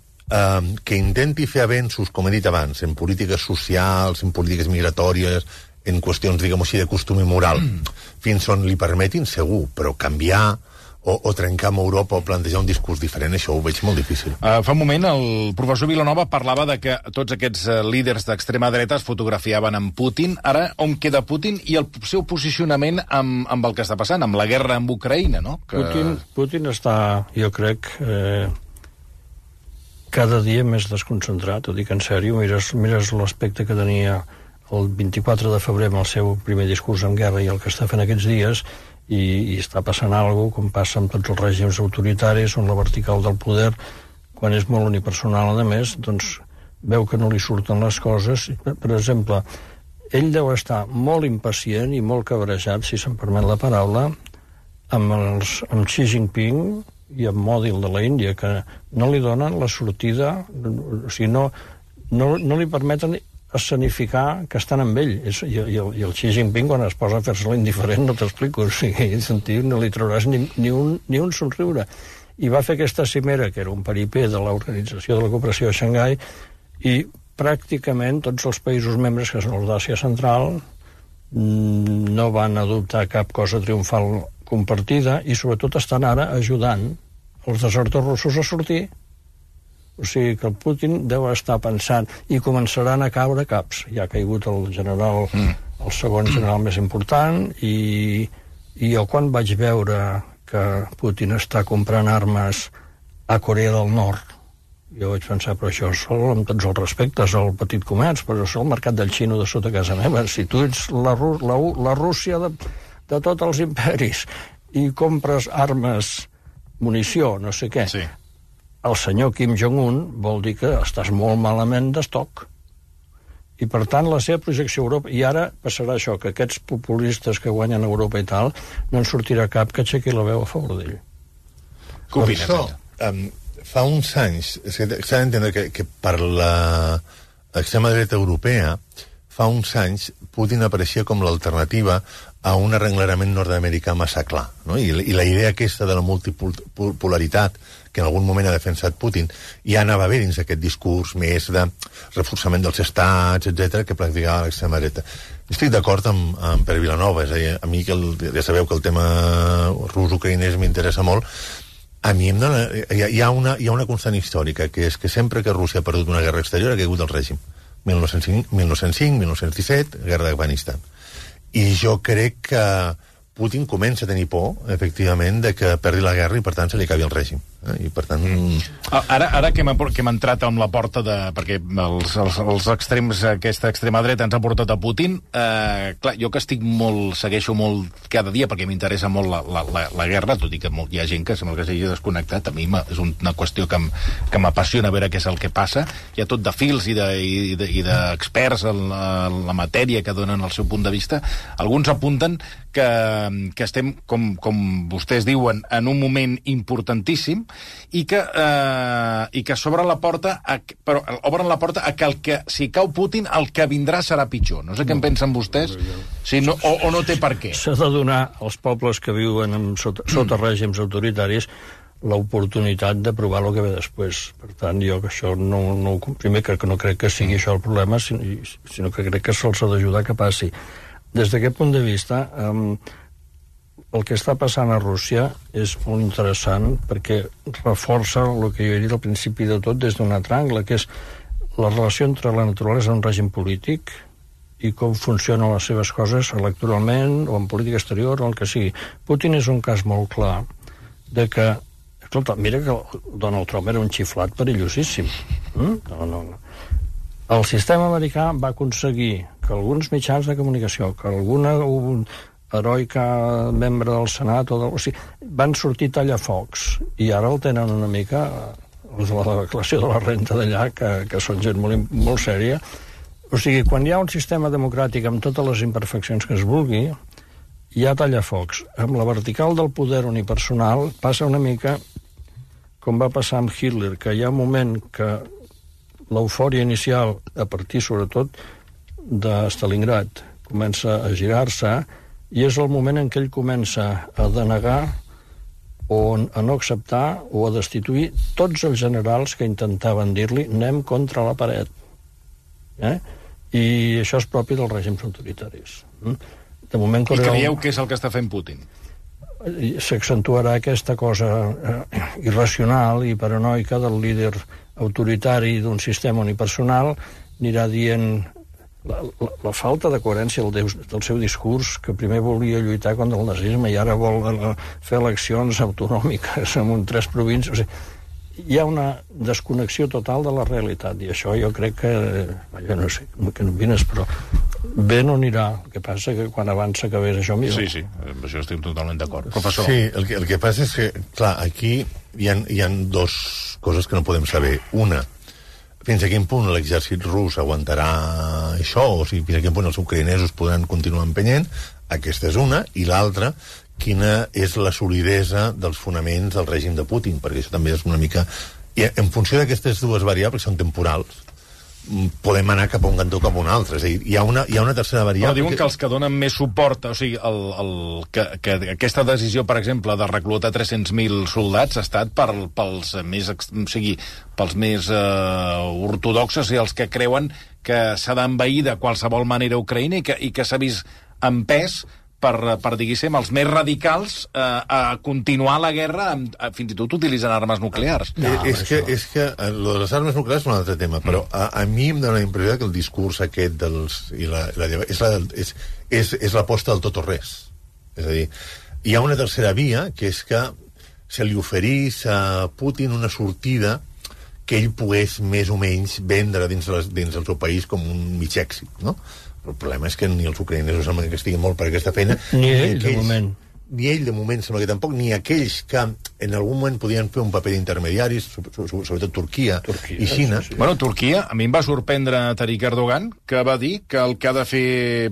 que intenti fer avenços, com he dit abans, en polítiques socials, en polítiques migratòries, en qüestions, diguem-ho així, de costum i moral, fins on li permetin, segur, però canviar o trencar amb Europa o plantejar un discurs diferent, això ho veig molt difícil. Fa un moment el professor Vilanova parlava de que tots aquests líders d'extrema dreta es fotografiaven amb Putin. Ara, on queda Putin i el seu posicionament amb el que està passant, amb la guerra amb Ucraïna, no? Putin està, jo crec, cada dia més desconcentrat, ho dic en sèrio. Mires l'aspecte que tenia el 24 de febrer amb el seu primer discurs en guerra i el que està fent aquests dies, i està passant alguna cosa, com passa amb tots els règims autoritaris, on la vertical del poder, quan és molt unipersonal, a més, doncs veu que no li surten les coses. Per exemple, ell deu estar molt impacient i molt cabrejat, si se'm permet la paraula, amb Xi Jinping i amb Modi, el de la Índia, que no li donen la sortida, o sigui, no li permeten escenificar que estan amb ell. I el Xi Jinping, quan es posa a fer-se l'indiferent, no t'explico, o sigui, no li trauràs ni un somriure. I va fer aquesta cimera, que era un paripé de l'Organització de la Cooperació de Xangai, i pràcticament tots els països membres, que són els d'Àsia Central, no van adoptar cap cosa triomfal compartida, i sobretot estan ara ajudant els desertors russos a sortir. O sigui que el Putin deu estar pensant, i començaran a caure caps. Ja ha caigut el general, el segon general més important, i jo quan vaig veure que Putin està comprant armes a Corea del Nord, jo vaig pensar, però això és amb tots els respectes al petit comerç, però és el mercat del xino de sota casa meva. Si tu ets la Rússia de tots els imperis i compres armes, munició, no sé què, sí. El senyor Kim Jong-un vol dir que estàs molt malament d'estoc. I, per tant, la seva projecció a Europa... I ara passarà això, que aquests populistes que guanyen a Europa i tal, no en sortirà cap que aixequi la veu a favor d'ell. Per això, fa uns anys, s'ha d'entendre que per l'extrema dreta europea, fa uns anys Putin apareixia com l'alternativa a un arrenglerament nord-americà massa clar, no? I la idea aquesta de la multipolaritat que en algun moment ha defensat Putin ja anava bé dins aquest discurs més de reforçament dels estats, etc que practicava l'extrema dreta. Estic d'acord amb Pere Vilanova, és a dir, a mi ja sabeu que el tema rus-ucraïnès m'interessa molt. A mi hi ha una constant històrica, que és que sempre que Rússia ha perdut una guerra exterior ha caigut el règim. 1905, 1917, guerra d'Afganistan. I jo crec que Putin comença a tenir por, efectivament, de que perdi la guerra i, per tant, se li acabi el règim. I, per tant... Ara que hem entrat amb la porta de... perquè els extrems, aquesta extrema dreta ens ha portat a Putin, clar, jo que segueixo molt cada dia, perquè m'interessa molt la guerra, tot i que hi ha gent que sembla que s'hagi desconnectat, a mi és una qüestió que m'apassiona veure què és el que passa. Hi ha tot de fils i d'experts en la matèria que donen el seu punt de vista. Alguns apunten que estem, com vostès diuen, en un moment importantíssim i que s'obre la porta però obren la porta a que si cau Putin el que vindrà serà pitjor. No sé què en pensen vostès, o no té per què. S'ha de donar als pobles que viuen sota règims autoritaris l'oportunitat de provar el que ve després. Per tant, jo que això primer que no crec que sigui això el problema, sinó que crec que se'ls ha d'ajudar que passi. Des d'aquest punt de vista, el que està passant a Rússia és molt interessant perquè reforça el que jo he dit al principi de tot des d'un altre angle, que és la relació entre la naturalesa i un règim polític i com funcionen les seves coses electoralment o en política exterior o el que sigui. Putin és un cas molt clar de que, escolta, mira que Donald Trump era un xiflat perillosíssim. No. El sistema americà va aconseguir que alguns mitjans de comunicació, que alguna heroica membre del Senat van sortir tallafocs i ara el tenen una mica els de la declaració de la renta d'allà que són gent molt sèria. O sigui, quan hi ha un sistema democràtic amb totes les imperfeccions que es vulgui, hi ha tallafocs. Amb la vertical del poder unipersonal passa una mica com va passar amb Hitler, que hi ha un moment que l'eufòria inicial, a partir sobretot de Stalingrad, comença a girar-se i és el moment en què ell comença a denegar o a no acceptar o a destituir tots els generals que intentaven dir-li anem contra la paret. I això és propi dels règims autoritaris. De moment, I creieu que és el que està fent Putin? S'accentuarà aquesta cosa irracional i paranoica del líder autoritari d'un sistema unipersonal, anirà dient la falta de coherència del seu discurs, que primer volia lluitar contra el nazisme i ara vol fer eleccions autonòmiques en 3 províncies. O sigui, hi ha una desconnexió total de la realitat i això jo crec que, jo no sé què n'opines, però bé no anirà. El que passa que quan avança que ves això millor. Sí, amb això estic totalment d'acord. Professor. Sí, el que passa és que, clar, aquí hi ha 2 coses que no podem saber. Una, fins a quin punt l'exèrcit rus aguantarà això, o sigui, fins a quin punt els ucraïnesos podran continuar empenyent, aquesta és una, i l'altra, quina és la solidesa dels fonaments del règim de Putin, perquè això també és una mica... I en funció d'aquestes 2 variables, que són temporals, podem anar cap a un cantó cap a un altre. És a dir, hi ha una tercera variable... Però diuen que els que donen més suport, o sigui, que aquesta decisió, per exemple, de reclutar 300.000 soldats ha estat pels més ortodoxes i els que creuen que s'ha d'envair de qualsevol manera Ucraïna i que s'ha vist empès per diguéssim, els més radicals a continuar la guerra fins i tot utilitzant armes nuclears. És que lo de les armes nuclears és un altre tema, però a mi em dóna la impressió que el discurs aquest és l'aposta del tot o res. És a dir, hi ha una tercera via, que és que se li oferís a Putin una sortida que ell pogués més o menys vendre dins el seu país com un mig èxit, no? El problema és que ni els ucraïnesos sembla que estiguin molt per aquesta feina. Ni ell, de moment. Ni ell, de moment, sembla que tampoc, ni aquells que en algun moment podien fer un paper d'intermediaris, sobretot Turquia i Xina. Sí. Bueno, Turquia, a mi em va sorprendre Tarik Erdogan, que va dir que el que ha de fer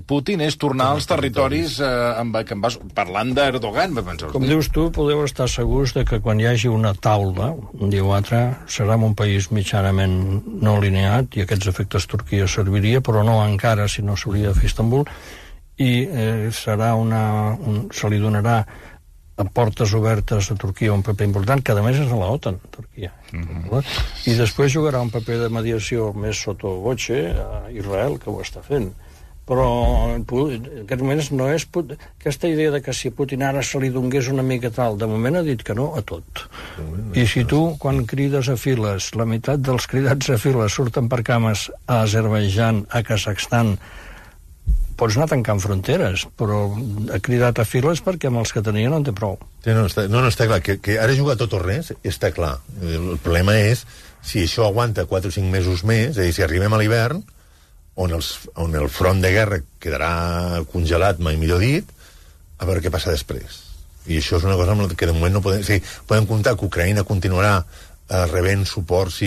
Putin és tornar als territoris parlant d'Erdogan. Com dius tu, podeu estar segurs de que quan hi hagi una taula, un dia o altre, serà un país mitjanament no alineat, i aquests efectes Turquia serviria, però no encara, si no s'hauria de fer Istanbul, i serà se li donarà a portes obertes a Turquia un paper important, que a més és a l'OTAN, Turquia. I després jugarà un paper de mediació més sotto voce a Israel, que ho està fent. Però en aquest moment no és aquesta idea de que si a Putin ara se li donés una mica tal, de moment ha dit que no a tot. I si tu, quan crides a files, la meitat dels cridats a files surten per cames a Azerbaidjan, a Kazakhstan, pots anar tancant fronteres, però ha cridat a files perquè amb els que tenia no en té prou. No, està clar. Que ara jugar tot o res, està clar. El problema és si això aguanta 4 o 5 mesos més, és a dir, si arribem a l'hivern, on el front de guerra quedarà congelat, mai millor dit, a veure què passa després. I això és una cosa amb la que de moment no podem... Sí, podem comptar que Ucraïna continuarà rebent suports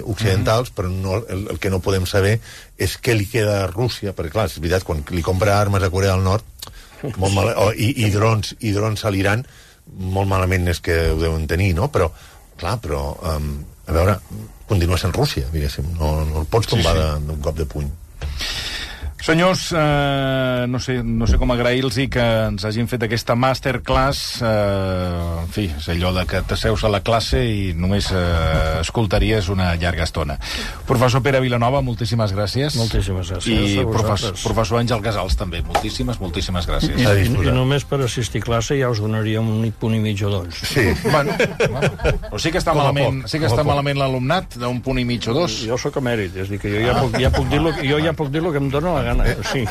occidentals, però el que no podem saber és què li queda a Rússia, perquè clar, és veritat, quan li compra armes a Corea del Nord i drons a l'Iran, molt malament és que ho deuen tenir, no? Però, clar, a veure, continua sent Rússia, diguéssim, no el pots tombar d'un cop de puny. Senyors, no sé com agrair-los que ens hagin fet aquesta masterclass. En fi, és allò de que t'asseus a la classe i només escoltaries una llarga estona. Professor Pere Vilanova, moltíssimes gràcies. Moltíssimes gràcies. I professor Àngel Casals, també. Moltíssimes gràcies. I només per assistir a classe ja us donaria un punt i mig o dos. Sí. Bueno, però sí que està malament l'alumnat d'un punt i mig o dos. Jo sóc emèrit, és a dir, que jo ja puc dir lo que em dóna la gana. Sí.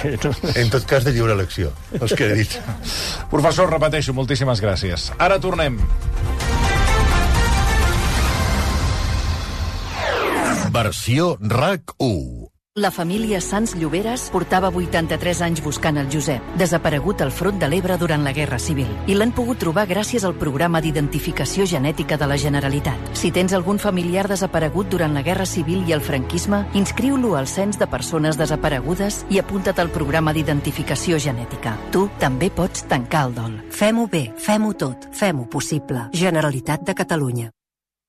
En tot cas, de lliure elecció, els que he dit. Professor, repeteixo, moltíssimes gràcies. Ara tornem. Versió RAC 1. La família Sans Lloberes portava 83 anys buscant el Josep, desaparegut al front de l'Ebre durant la Guerra Civil, i l'han pogut trobar gràcies al programa d'identificació genètica de la Generalitat. Si tens algun familiar desaparegut durant la Guerra Civil i el franquisme, inscriu-lo al Cens de Persones Desaparegudes i apunta't al programa d'identificació genètica. Tu també pots tancar el dol. Fem-ho bé, fem-ho tot, fem-ho possible. Generalitat de Catalunya.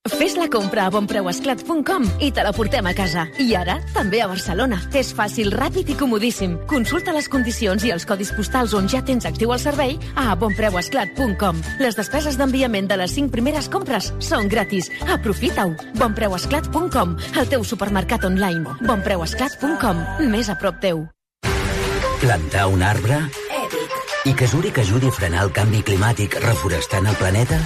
Fes la compra a bonpreuesclat.com i te la portem a casa. I ara, també a Barcelona. És fàcil, ràpid i comodíssim. Consulta les condicions i els codis postals on ja tens actiu el servei a bonpreuesclat.com. Les despeses d'enviament de les 5 primeres compres són gratis. Aprofita-ho. bonpreuesclat.com, el teu supermercat online. bonpreuesclat.com, més a prop teu. Plantar un arbre? Èpic. I que Zurich ajudi a frenar el canvi climàtic reforestant el planeta?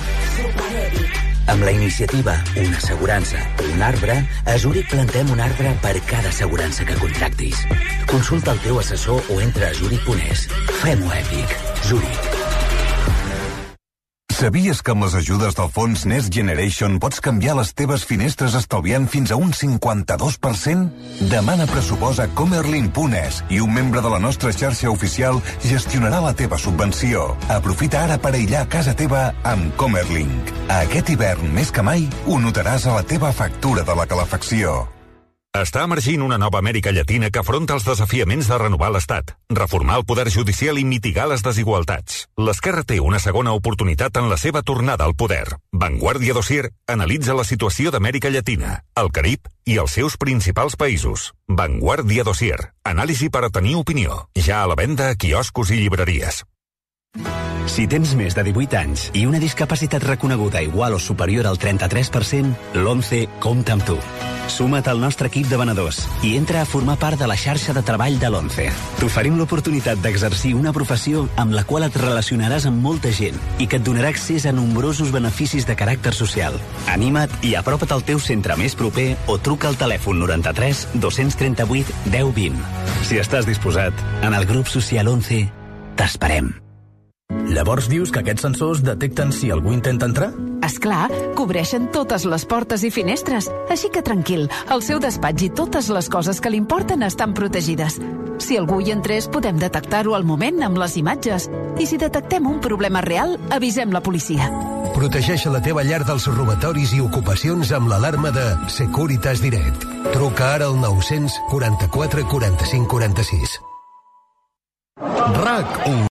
Amb la iniciativa Una assegurança, un arbre, a Zurich plantem un arbre per cada assegurança que contractis. Consulta el teu assessor o entra a zurich.es. Fem-ho èpic. Zurich. Sabies que amb les ajudes del fons Next Generation pots canviar les teves finestres estalviant fins a un 52%? Demana pressupost a Comerlin.es i un membre de la nostra xarxa oficial gestionarà la teva subvenció. Aprofita ara per aïllar casa teva amb Comerlin. Aquest hivern, més que mai, ho notaràs a la teva factura de la calefacció. Està emergint una nova Amèrica Llatina que afronta els desafiaments de renovar l'Estat, reformar el poder judicial i mitigar les desigualtats. L'esquerra té una segona oportunitat en la seva tornada al poder. Vanguardia Dossier analitza la situació d'Amèrica Llatina, el Carib i els seus principals països. Vanguardia Dossier. Anàlisi per a tenir opinió. Ja a la venda a quioscos i llibreries. Si tens més de 18 anys i una discapacitat reconeguda igual o superior al 33%, l'11 compta amb tu. Suma't al nostre equip de venedors i entra a formar part de la xarxa de treball de l'11. T'oferim l'oportunitat d'exercir una professió amb la qual et relacionaràs amb molta gent i que et donarà accés a nombrosos beneficis de caràcter social. Anima't i apropa't al teu centre més proper o truca al telèfon 93 238 1020. Si estàs disposat, en el grup social 11 t'esperem. Llavors dius que aquests sensors detecten si algú intenta entrar? És clar, cobreixen totes les portes i finestres. Així que tranquil, el seu despatx i totes les coses que li importen estan protegides. Si algú hi entrés, podem detectar-ho al moment amb les imatges. I si detectem un problema real, avisem la policia. Protegeix la teva llar dels robatoris i ocupacions amb l'alarma de Securitas Direct. Truca ara al 900 44 45 46. RAC1